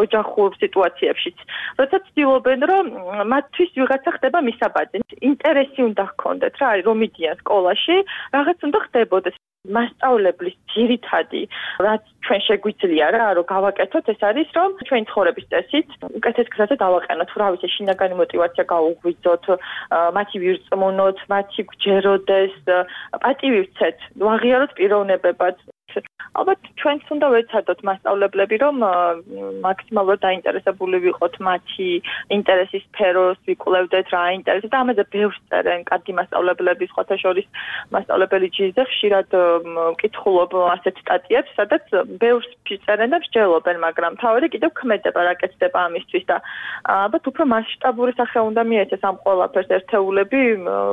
[SPEAKER 12] ოჯახურ სიტუაციებშიც. როცა ცდილობენ, რომ მათთვის ვიღაცა ხდება მისაბაძი, ინტერესი უნდა ჰქონდეთ რა, რომ მიდიან სკოლაში, რაღაც უნდა ხდებოდეს. მასწავლებლის ძირითადი რაც ჩვენ შეგვიძლია რა რომ გავაკეთოთ ეს არის რომ ჩვენი ცხოვრების წესით უკეთეს გზაზე დავაყენოთ რა ვიცი შინაგანი мотиваცია გაუღვიძოთ მათი ვირწმუნოთ მათი გჯეროდეს პატივი ვცეთ ვაღიაროთ პიროვნებებად ალბათ ჩვენც უნდა ვეცადოთ მასწავლებლები რომ მაქსიმალურად დაინტერესებული ვიყოთ მათი ინტერესის სფეროს ვიკვლევდეთ რა ინტერესებს და ამაზე ბევრს წერენ კარგი მასწავლებლები სხვათა შორის მასწავლებელი ჯიზე ხშირად ვკითხულობ ასეთ სტატიებს სადაც ბევრს წერენ და მსჯელობენ მაგრამ თავი კიდევ ქმედება რა კეთდება ამისთვის და ალბათ უფრო მასშტაბური სახე უნდა მიეცეს ამ ყველაფერს ერთეულები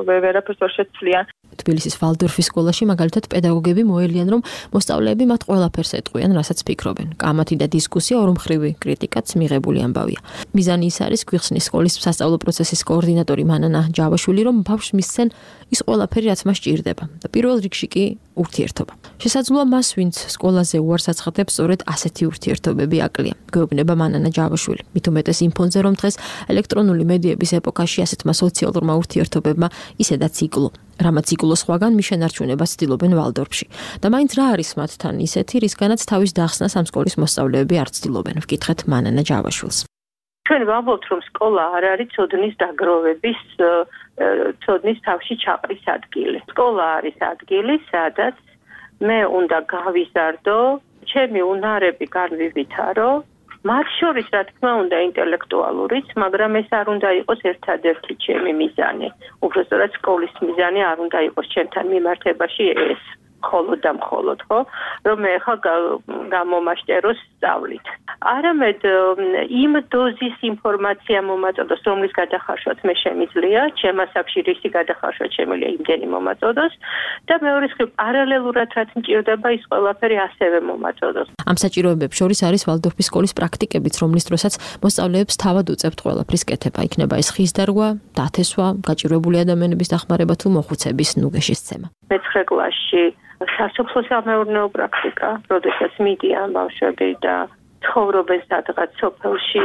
[SPEAKER 12] ვერაფერს ვერ შეცვლიან
[SPEAKER 19] თბილისის ვალდორფის სკოლაში მაგალითად პედაგოგები მოელიან რომ მოსწავლეები მათ ყველაფერს ეტყვიან, რასაც ფიქრობენ. კამათი და დისკუსია ორმხრივი კრიტიკაც მიღებული ამბავია. მიზანი ის არის გვიხსნის სკოლის სასწავლო პროცესის კოორდინატორი მანანა ჯავაშვილი, რომ ბავშვს მისცენ ის ყველაფერი, რაც მას ჭირდება და პირველ რიგში კი ურთიერთობა. შესაძლოა მას, ვინც სკოლაზე უარს აცხადებს, სწორედ ასეთი ურთიერთობები აკლია. გვეუბნება მანანა ჯავაშვილი. მით უმეტეს იმ ფონზე, რომ დღეს ელექტრონული მედიების ეპოქაში ასეთმა სოციალურმა ურთიერთობებმა ისედაც იკლო. რამაც იკლო სხვაგან მის შენარჩუნებას ცდილობენ ვალდორფში. და მაინც რა არის მათთან ისეთი, რისგანაც თავის დახსნას ამ სკოლის მოსწავლეები არ ცდილობენ. ვკითხეთ მანანა ჯავაშვილს.
[SPEAKER 9] ჩვენ ვამბობთ, რომ სკოლა არ არის ცოდნის დაგროვების, ცოდნის თავში ჩაყრის ადგილი. სკოლა არის ადგილი, სადაც მე უნდა გავიზარდო, ჩემი უნარები განვივითარო, მათ შორის რა თქმა უნდა ინტელექტუალურიც, მაგრამ ეს არ უნდა იყოს ერთადერთი ჩემი მიზანი. უბრალოდ სკოლის მიზანი არ უნდა იყოს ჩემთან მიმართებაში ეს. მხოლოდ და მხოლოდ, ხო? რომ მე ხა გამომაშტერო სწავლით. არამედ იმ დოზის ინფორმაცია მომაწოდოს, რომლის გადახარშვაც მე შემიძლია, ჩემ ასაკში რისი გადახარშვა შემიძლია იმდენი მომაწოდოს და მეორე მხრივ პარალელურად რაც მჭირდება ის ყველაფერი ასევე მომაწოდოს.
[SPEAKER 19] ამ საჭიროებებს შორის არის ვალდორფის სკოლის პრაქტიკებიც, რომლის დროსაც მოსწავლეებს თავად უწევთ ყველაფრის კეთება. იქნება ეს ხის დარგვა, დათესვა, გაჭირვებული ადამიანების დახმარება თუ მოხუცების ნუგეშის ცემა.
[SPEAKER 9] მე-9 კლასში სასოფლო-სამეურნეო პრაქტიკა, როდესაც მიდიან ბავშვები და ცხოვრობენ სადღაც სოფელში,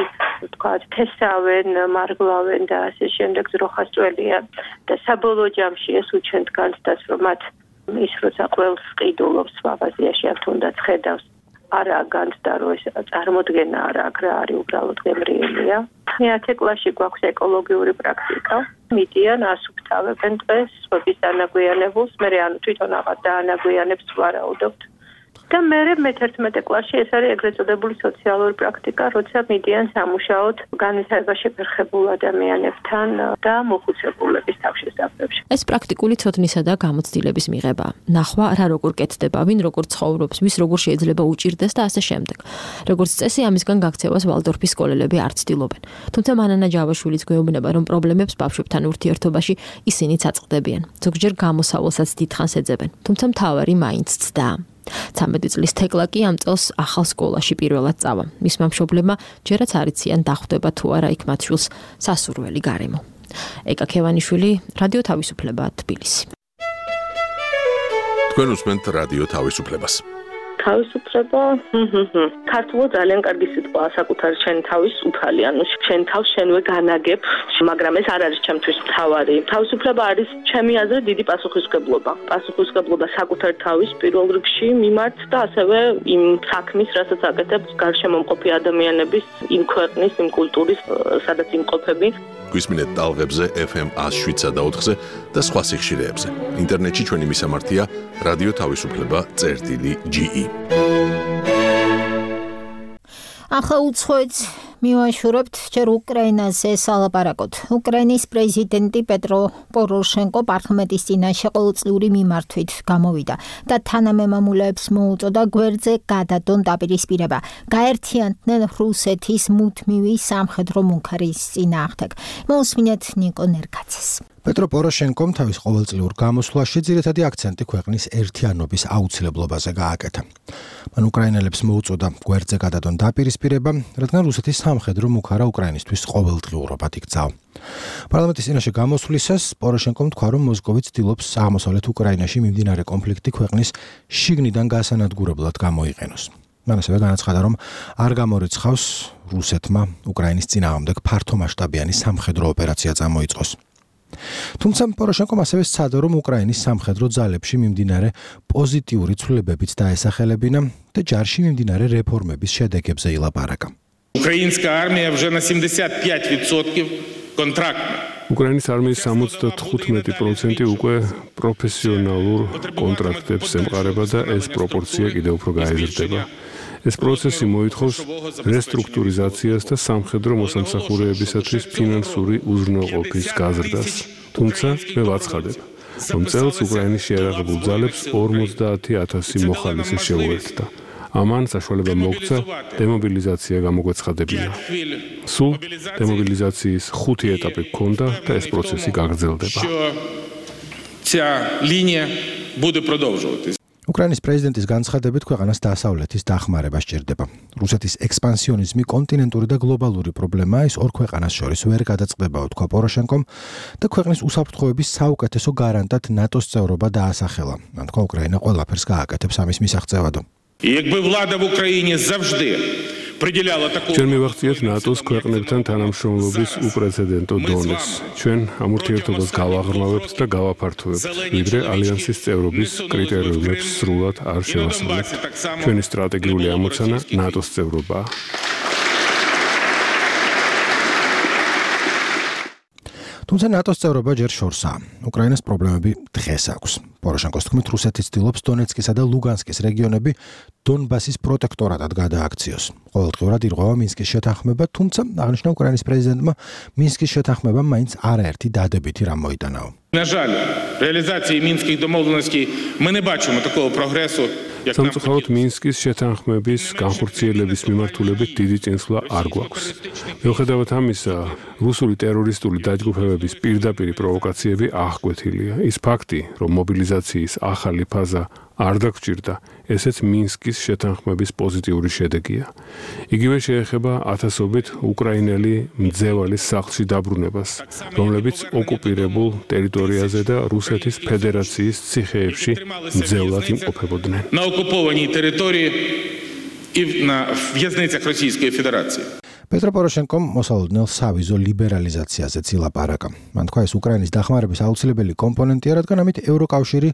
[SPEAKER 9] თქვათ, თესავენ, მარგლავენ და ასე შემდეგ ძროხასწველია და საბოლოო ჯამში ეს უჩვენთ განცდას, რომ მათ ის როცა ყველს ყიდულობს მაღაზიაში ან თუნდაც ხედავს არა განცდა რომ ეს წარმოდგენა არა რა არის უბრალოდ გემრიელია. 9 კლასში გვაქვს ეკოლოგიური პრაქტიკა. მიდიან ასუფთავებენ დღეს სხვების დანაგვიანებულს, მე ანუ თვითონ აღარ დაანაგვიანებს ვარაუდობთ. და მე მე-11 კლასში ეს არის ეგრეთ წოდებული სოციალური პრაქტიკა, როცა მიდიან სამუშაოდ განვითარებაში ფერხებულ ადამიანებთან და მოხუცებულების თავშესაფრებში.
[SPEAKER 19] ეს პრაქტიკული ცოდნისა და გამოცდილების მიღებაა. ნახვა რა როგორ კეთდება, ვინ როგორ ცხოვრობს, ვის როგორ შეიძლება უჭირდეს და ასე შემდეგ. როგორც წესი, ამისგან გაქცევას ვალდორფის სკოლელები არ ცდილობენ. თუმცა მანანა ჯავაშვილიც გვეუბნება, რომ პრობლემებს ბავშვებთან ურთიერთობაში ისინიც აწყდებიან. ზოგჯერ გამოსავალსაც დიდხანს ეძებენ, თუმცა მთავარი მაინც ცდა. 13 წლის თეკლა კი ამ წელს ახალ სკოლაში პირველად წავა. მისმა მშობლებმა ჯერაც არ იციან დახვდება თუ არა იქ მათ შვილს სასურველი გარემო. ეკა ქევანიშვილი, რადიო თავისუფლება, თბილისი.
[SPEAKER 14] თქვენ უსმენთ რადიო თავისუფლებას.
[SPEAKER 12] თავისუფლება, ქართულად ძალიან კარგი სიტყვაა, საკუთარი შენ თავის უფალი, ანუ შენ თავს შენვე განაგებ, მაგრამ ეს არ არის ჩემთვის თავარი. თავისუფლება არის ჩემი აზრით დიდი პასუხისმგებლობა. პასუხისმგებლობა საკუთარი თავის პირველ რიგში მიმართ და ასევე იმ საქმის, რასაც აკეთებს გარშემო მყოფი ადამიანების, იმ ქვეყნის, იმ კულტურის, სადაც იმყოფები.
[SPEAKER 14] გვისმინეთ ტალღებზე FM 107.4-ზე და სხვა სიხშირეებზე. ინტერნეტში ჩვენი მისამართია რადიო თავისუფლება.ge.
[SPEAKER 2] ახლა უცხოეთს მივაშურებთ ჯერ უკრაინაზე სალაპარაკოთ. უკრაინის პრეზიდენტი პეტრო პოროშენკო პარლამენტის წინაშე ყოველწლიური მიმართვით გამოვიდა და თანამემამულეებს მოუწოდა გვერდზე გადადონ დაპირისპირება. გაერთიანდნენ რუსეთის მუდმივი სამხედრო მუქარის წინააღმდეგ. მოусმინეთ ნიკო ნერკაცეს.
[SPEAKER 6] პეტრო პოროშენკომ თავის ყოველწლიურ გამოსვლაში ძირითადი აქცენტი ქვეყნის ერთიანობის აუცილებლობაზე გააკეთა. მან უკრაინელებს მოუწოდა გვერდზე გადადონ დაპირისპირება, რადგან რუსეთის სამხედრო მუქარა უკრაინისთვის ყოველდღიურობად იქცაო. პარლამენტის წინაშე გამოსვლისას პოროშენკომ თქვა, რომ მოსკოვი ცდილობს აღმოსავლეთ უკრაინაში მიმდინარე კონფლიქტი ქვეყნის შიგნიდან გასანადგურებლად გამოიყენოს. მან ასევე განაცხადა, რომ არ გამორიცხავს რუსეთმა უკრაინის წინააღმდეგ ფართომასშტაბიანი სამხედრო ოპერაცია წამოიწყოს. თუმცა პოროშენკომ ასევე სცადა, რომ უკრაინის სამხედრო ძალებში მიმდინარე პოზიტიური ცვლილებებიც დაესახელებინა და ჯარში მიმდინარე რეფორმების შედეგებზე ილაპარაკა.
[SPEAKER 7] Украинская армия уже на 75% контрактна.
[SPEAKER 15] უკრაინის არმიის 75% უკვე პროფესიონალურ კონტრაქტებს ემყარება და ეს პროპორცია კიდევ უფრო გაიზრდება. ეს პროცესი მოითხოვს რესტრუქტურიზაციას და სამხედრო მოსამსახურეებისათვის ფინანსური უზრუნველყოფის გაზრდას. თუმცა მე ვაცხადებ, რომ წელს უკრაინის შეიარაღებულ ძალებს 50,000 მოხალისე შეუერთდა. ამან საშუალება მოგვცა დემობილიზაცია გამოგვეცხადებინა. სულ დემობილიზაციის 5 ეტაპი გქონდა და ეს პროცესი გაგრძელდება.
[SPEAKER 6] უკრაინის პრეზიდენტის განცხადებით ქვეყანას დასავლეთის დახმარება სჭირდება. რუსეთის ექსპანსიონიზმი კონტინენტური და გლობალური პრობლემაა, ის ორ ქვეყანას შორის ვერ გადაწყდებაო, თქვა პოროშენკომ და ქვეყნის უსაფრთხოების საუკეთესო გარანტად ნატოს წევრობა დაასახელა. თქვა უკრაინა ყველაფერს გააკეთებს ამის მისაღწევადო.
[SPEAKER 7] Якби влада в Україні завжди приділяла таку
[SPEAKER 15] ჩვენ მივახციეთ ნატოს ქვეყნებთან თანამშრომლობის უპრეცედენტო დონეს. ჩვენ ამ ურთიერთობას გავაღრმავებთ და გავაფართოვებთ, ვიდრე ალიანსის წევრობის კრიტერიუმებს სრულად არ შევასრულებთ. ჩვენი სტრატეგიული ამოცანა ნატოს წევრობაა.
[SPEAKER 6] თუმცა ნატოს წევრობა ჯერ შორსაა. უკრაინას პრობლემები დღეს აქვს. პოროშენკოს თქმით, რუსეთი ცდილობს დონეცკისა და ლუგანსკის რეგიონები დონბასის პროტექტორატად გადააქციოს. ყოველდღიურად ირღვევა მინსკის შეთანხმება, თუმცა აღნიშნა უკრაინის პრეზიდენტმა მინსკის შეთანხმებამ მაინც არაერთი დადებითი რამ მოიტანაო.
[SPEAKER 7] На жаль, реализации Минских домовленностей мы не бачимо такого прогрессу.
[SPEAKER 15] სამწუხაროდ მინსკის შეთანხმების განხორციელების მიმართულებით დიდი წინსვლა არ გვაქვს. მიუხედავად ამისა, რუსული ტერორისტული დაჯგუფებების პირდაპირი პროვოკაციები აღკვეთილია. ის ფაქტი, რომ მობილიზაციის ახალი ფაზა არ დაგჭირდა, ესეც მინსკის შეთანხმების პოზიტიური შედეგია. იგივე შეეხება ათასობით უკრაინელი მძევალის სახლში დაბრუნებას, რომლებიც ოკუპირებულ ტერიტორიაზე და რუსეთის ფედერაციის ციხეებში მძევლად იმყოფებოდნენ.
[SPEAKER 7] На оккупованной территории и на в'язницах Российской Федерации.
[SPEAKER 6] პეტრო პოროშენკომ მოსალოდნელ სავიზო ლიბერალიზაციაზეც ილაპარაკა. მან თქვა, ეს უკრაინის დახმარების აუცილებელი კომპონენტია, რადგან ამით ევროკავშირი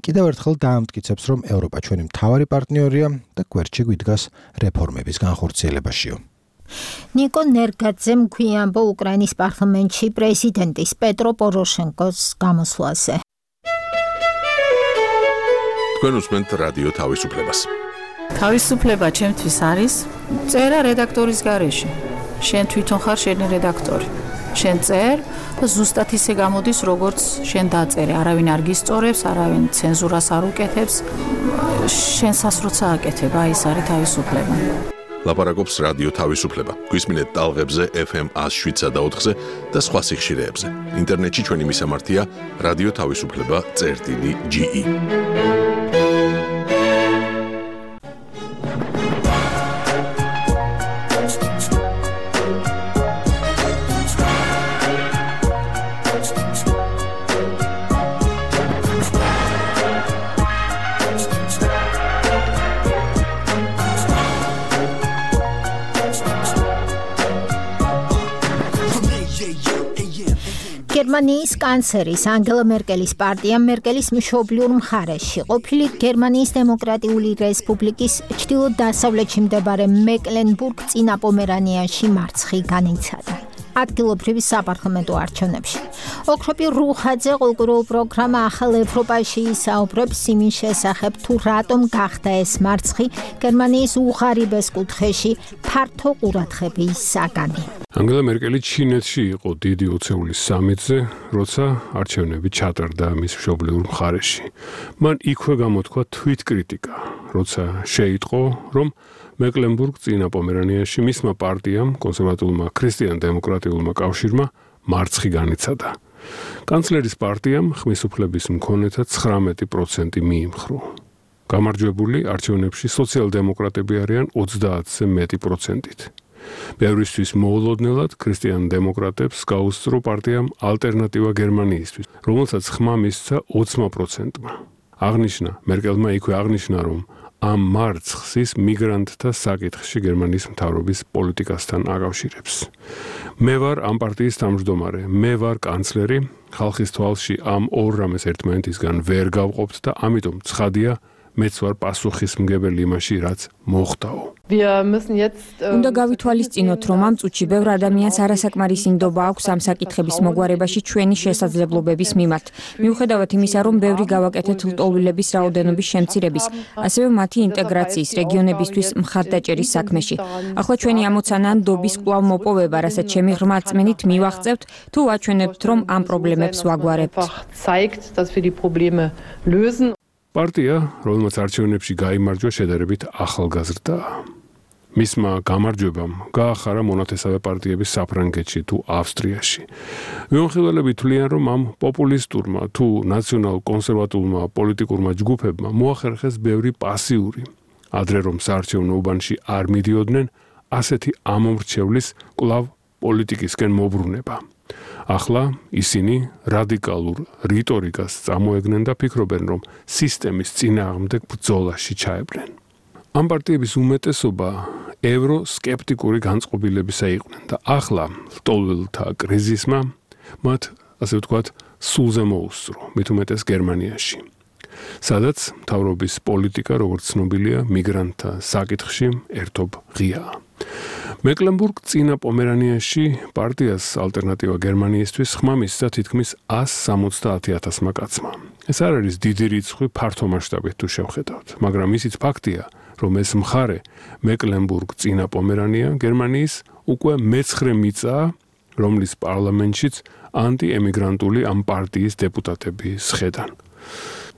[SPEAKER 6] კიდევ ერთხელ დაამტკიცებს, რომ ევროპა ჩვენი მთავარი პარტნიორია და გვერდში გვიდგას რეფორმების განხორციელებაშიო.
[SPEAKER 2] ნიკო ნერგაძემ გვიანბო უკრაინის პარლამენტში პრეზიდენტის პეტრო პოროშენკოს გამოსვლაზე.
[SPEAKER 14] თქვენ უსმენთ რადიო თავისუფლებას.
[SPEAKER 21] თავისუფლება ჩემთვის არის წერა რედაქტორის გარეშე. შენ თვითონ ხარ შენი რედაქტორი. შენ წერ და ზუსტად ისე გამოდის, როგორც შენ დაწერე. არავინ არ გისწორებს, არავინ ცენზურას არ უკეთებს. შენ სასროცა აკეთებ, აი ეს არის თავისუფლება.
[SPEAKER 14] ლაპარაკობს რადიო თავისუფლება. გვისმინეთ ტალღებზე FM 107.4-ზე და სხვა სიხშირეებზე. ინტერნეტში ჩვენი მისამართია radioთავისუფლება.ge.
[SPEAKER 2] გერმანიის კანცლერის ანგელა მერკელის პარტია მერკელის მშობლიურ მხარეში, ყოფილი გერმანიის დემოკრატიული რესპუბლიკის ჩრდილო-დასავლეთში მდებარე მეკლენბურგ-წინა პომერანიაში მარცხი განიცადა. ადგილობრივი საპარლამენტო არჩევნებში. ოქროპი რუხაძე ყოლკურულ პროგრამა ახალ ევროპაში ისაუბრებს იმის შესახებ, თუ რატომ გახდა ეს მარცხი გერმანიის უღარიბეს კუთხეში ფართო ყურადღების საგანი.
[SPEAKER 15] ანგელა მერკელი ჩინეთში იყო დიდი ოცეულის სამიტზე, როცა არჩევნები ჩატარდა მის მშობლიურ მხარეში. მან იქვე გამოთქვა თვითკრიტიკა, როცა შეიტყო, რომ მეკლენბურგ-წინა პომერანიაში მისმა პარტიამ, კონსერვატულმა ქრისტიან-დემოკრატიულმა კავშირმა მარცხი განიცადა. კანცლერის პარტიამ ხმის უფლების მქონეთა 19% მიიმხრო. გამარჯვებული არჩევნებში სოციალ-დემოკრატები არიან 30-ზე მეტი პროცენტით. ბევრისთვის მოულოდნელად ქრისტიან-დემოკრატებს გაუსწრო პარტიამ ალტერნატივა გერმანიისთვის, რომელსაც ხმა მისცა 20%-მა. აღნიშნა, მერკელმა იქვე აღნიშნა, რომ ამ მარცხს ის მიგრანტთა საკითხში გერმანიის მთავრობის პოლიტიკასთან აკავშირებს. მე ვარ ამ პარტიის თავმჯდომარე, მე ვარ კანცლერი, ხალხის თვალში ამ ორ რამეს ერთმანეთისგან ვერ გავყოფთ და ამიტომ ცხადია, მეც ვარ პასუხისმგებელი იმაში, რაც მოხდაო.
[SPEAKER 1] უნდა გავითვალისწინოთ, რომ ამ წუთში ბევრ ადამიანს არასაკმარისინდობა აქვს ამ საკითხების მოგვარებაში ჩვენი შესაძლებლობების მიმართ. მიუხედავად იმისა, რომ ბევრი გავაკეთეთ ლტოლვილების რაოდენობის შემცირების, ასევე მათი ინტეგრაციის რეგიონებისთვის მხარდაჭერის საქმეში. ახლა ჩვენი ამოცანა ნდობის კვლავ მოპოვება, რასაც ჩემი ღრმა რწმენით მივახწევთ, თუ ვაჩვენებთ, რომ ამ პრობლემებს ვაგვარებთ.
[SPEAKER 15] პარტია, რომელმაც არჩევნებში გაიმარჯვა, შედარებით ახალგაზრდაა. მისმა გამარჯვებამ გაახარა მონათესავე პარტიების საფრანგეთში თუ ავსტრიაში. მიმოხილველები თვლიან, რომ ამ პოპულისტურმა თუ ნაციონალ-კონსერვატულმა პოლიტიკურმა ჯგუფებმა მოახერხეს ბევრი პასიური. ადრე რომ საარჩევნო უბანში არ მიდიოდნენ, ასეთი ამომრჩევლის კვლავ პოლიტიკისკენ მობრუნება. ახლა ისინი რადიკალურ რიტორიკას წამოეგნენ და ფიქრობენ, რომ სისტემის წინააღმდეგ ბრძოლაში ჩაებრნენ. ამ პარტიების უმეტესობა ევროსკეპტიკური განწყობილებისა იყვნენ და ახლა ლტოლვილთა კრიზისმა მათ, ასე ვთქვათ, სულზე მოუსწრო, მით უმეტეს გერმანიაში. სადაც მთავრობის პოლიტიკა, როგორც ცნობილია, მიგრანტთა საკითხში ერთობ ღიაა. მეკლენბურგ-წინა პომერანიაში პარტიას ალტერნატივა გერმანიისთვის ხმა მისცა თითქმის 170,000-მა კაცმა. ეს არ არის დიდი რიცხვი ფართო მასშტაბით თუ შევხედავთ, მაგრამ ისიც ფაქტია, რომ ეს მხარე მეკლენბურგ-წინა პომერანია გერმანიის უკვე მე-9 მიწაა, რომლის პარლამენტშიც ანტიემიგრანტული ამ პარტიის დეპუტატები სხედან.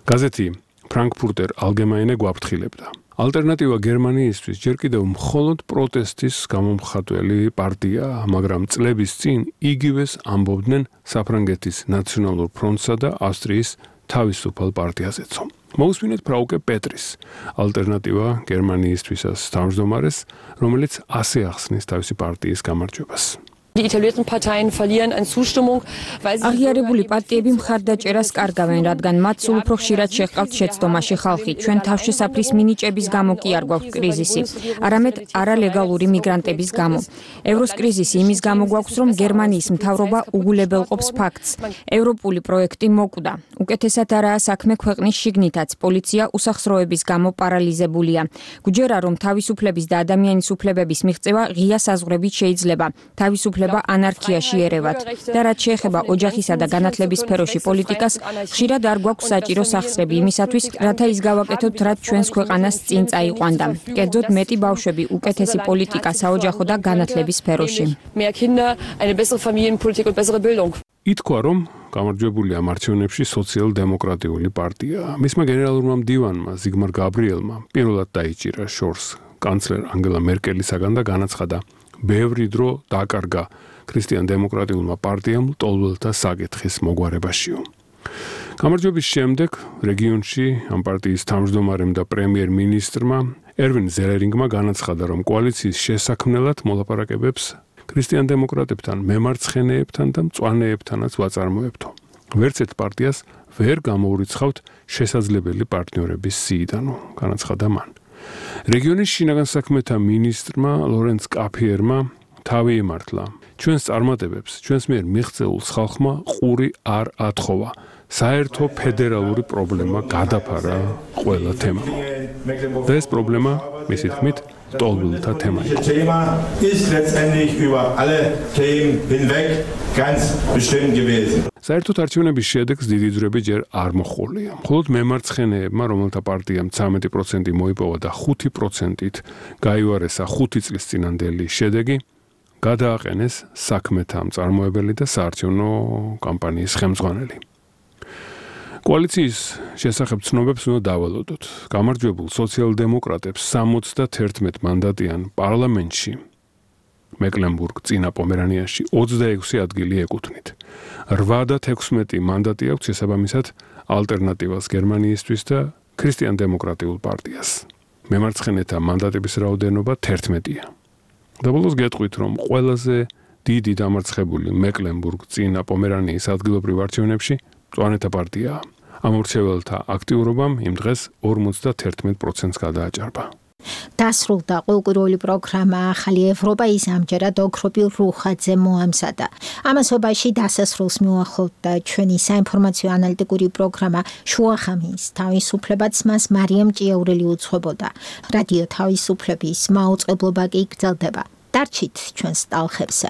[SPEAKER 15] გაზეთი ფრანკფურტერ ალგემაინე გვაფრთხილებდა. ალტერნატივა გერმანიისთვის ჯერ კიდევ მხოლოდ პროტესტის გამომხატველი პარტიაა, მაგრამ წლების წინ იგივეს ამბობდნენ საფრანგეთის ნაციონალურ ფრონტსა და ავსტრიის თავისუფალ პარტიაზეცო. მოусმინეთ ფრაუკე პეტრის, ალტერნატივა გერმანიისთვისას თავმჯდომარეს, რომელიც ასე ახსნის თავისი პარტიის გამარჯვებას.
[SPEAKER 1] აღიარებული პარტიები მხარდაჭერას კარგავენ, რადგან მათ სულ უფრო ხშირად შეჰყავთ შეცდომაში ხალხი. ჩვენ თავშესაფრის მინიჭების გამო კი არ გვაქვს კრიზისი, არამედ არალეგალური მიგრანტების გამო. ევროს კრიზისი იმის გამო გვაქვს, რომ გერმანიის მთავრობა უგულებელყოფს ფაქტს. ევროპული პროექტი მოკვდა. უკეთესად არაა საქმე ქვეყნის შიგნითაც. პოლიცია უსახსროების გამო პარალიზებულია. გვჯერა, რომ თავისუფლების და ადამიანის უფლებების მიღწევა ღია საზღვრებით შეიძლება. თავისუფლება ანარქიაში ერევათ და რაც შეეხება ოჯახისა და განათლების სფეროში პოლიტიკას, ხშირად არ გვაქვს საჭირო სახსრები იმისათვის, რათა ის გავაკეთოთ, რაც ჩვენს ქვეყანას წინ წაიყვანდა. კერძოდ მეტი ბავშვები, უკეთესი პოლიტიკა საოჯახო და განათლების სფეროში.
[SPEAKER 15] ითქვა, რომ გამარჯვებული ამ არჩევნებში სოციალ-დემოკრატიული პარტია. მისმა გენერალურმა მდივანმა ზიგმარ გაბრიელმა პირველად დაიჭირა შორს კანცლერ ანგელა მერკელისაგან და განაცხადა, ბევრი დრო დაკარგა ქრისტიან-დემოკრატიულმა პარტიამ ლტოლვილთა საკითხის მოგვარებაშიო. გამარჯვების შემდეგ რეგიონში ამ პარტიის თავმჯდომარემ და პრემიერ-მინისტრმა ერვინ ზელერინგმა განაცხადა, რომ კოალიციის შესაქმნელად მოლაპარაკებებს ქრისტიან-დემოკრატებთან, მემარცხენეებთან და მწვანეებთანაც ვაწარმოებთო. ვერც ერთ პარტიას ვერ გამოურიცხავთ შესაძლებელი პარტნიორების სიიდანო, განაცხადა მან. რეგიონის შინაგან საქმეთა მინისტრმა ლორენც კაფიერმა თავი იმართლა. ჩვენს წარმატებებს, ჩვენს მიერ მიღწეულ ხალხმა ყური არ ათხოვა. საერთო ფედერალური პრობლემა გადაფარა ყველა თემამ. და ეს პრობლემა, მისი თქმით, ლტოლვილთა თემა იყო. საერთოდ არჩევნების შედეგს დიდი ძვრები ჯერ არ მოჰყოლია. მხოლოდ მემარცხენეებმა, რომელთა პარტიამ 13% მოიპოვა და 5%-ით გაიوارესა 5 წლის წინანდელი შედეგი, გადააყენეს საქმეთა მწარმოებელი და საარჩევნო კამპანიის ხელმძღვანელი. კოალიციის შესახებ ცნობებს უნდა დავალოდოთ. გამარჯვებულ სოციალ-დემოკრატებს 71 მანდატიან პარლამენტში მეკლენბურგ-წინა პომერანიაში 26 ადგილი ეკუთვნით. 8 და 16 მანდატი აქვს შესაბამისად ალტერნატივას გერმანიისთვის და ქრისტიან-დემოკრატიულ პარტიას. მემარცხენეთა მანდატების რაოდენობა 11-ია. და ბოლოს გეტყვით, რომ ყველაზე დიდი დამარცხებული მეკლენბურგ-წინა პომერანიის ადგილობრივ არჩევნებში მწვანეთა პარტიაა. ამორჩეველთა აქტიურობამ იმ დღეს 51%-ს გადააჭარბა.
[SPEAKER 2] დასრულდა ყოველკვირეული პროგრამა ახალი ევროპა ის ამჯერად ოქროპილ რუხაძე მოამზადა. ამასობაში დასასრულს მიუახლოვდა ჩვენი საინფორმაციო ანალიტიკური პროგრამა შუახამის თავისუფლებაც მას მარიამ ჭიაურელი უძღვებოდა. რადიო თავისუფლების მაუწყებლობა კი გრძელდება. დარჩით ჩვენს ტალღებზე.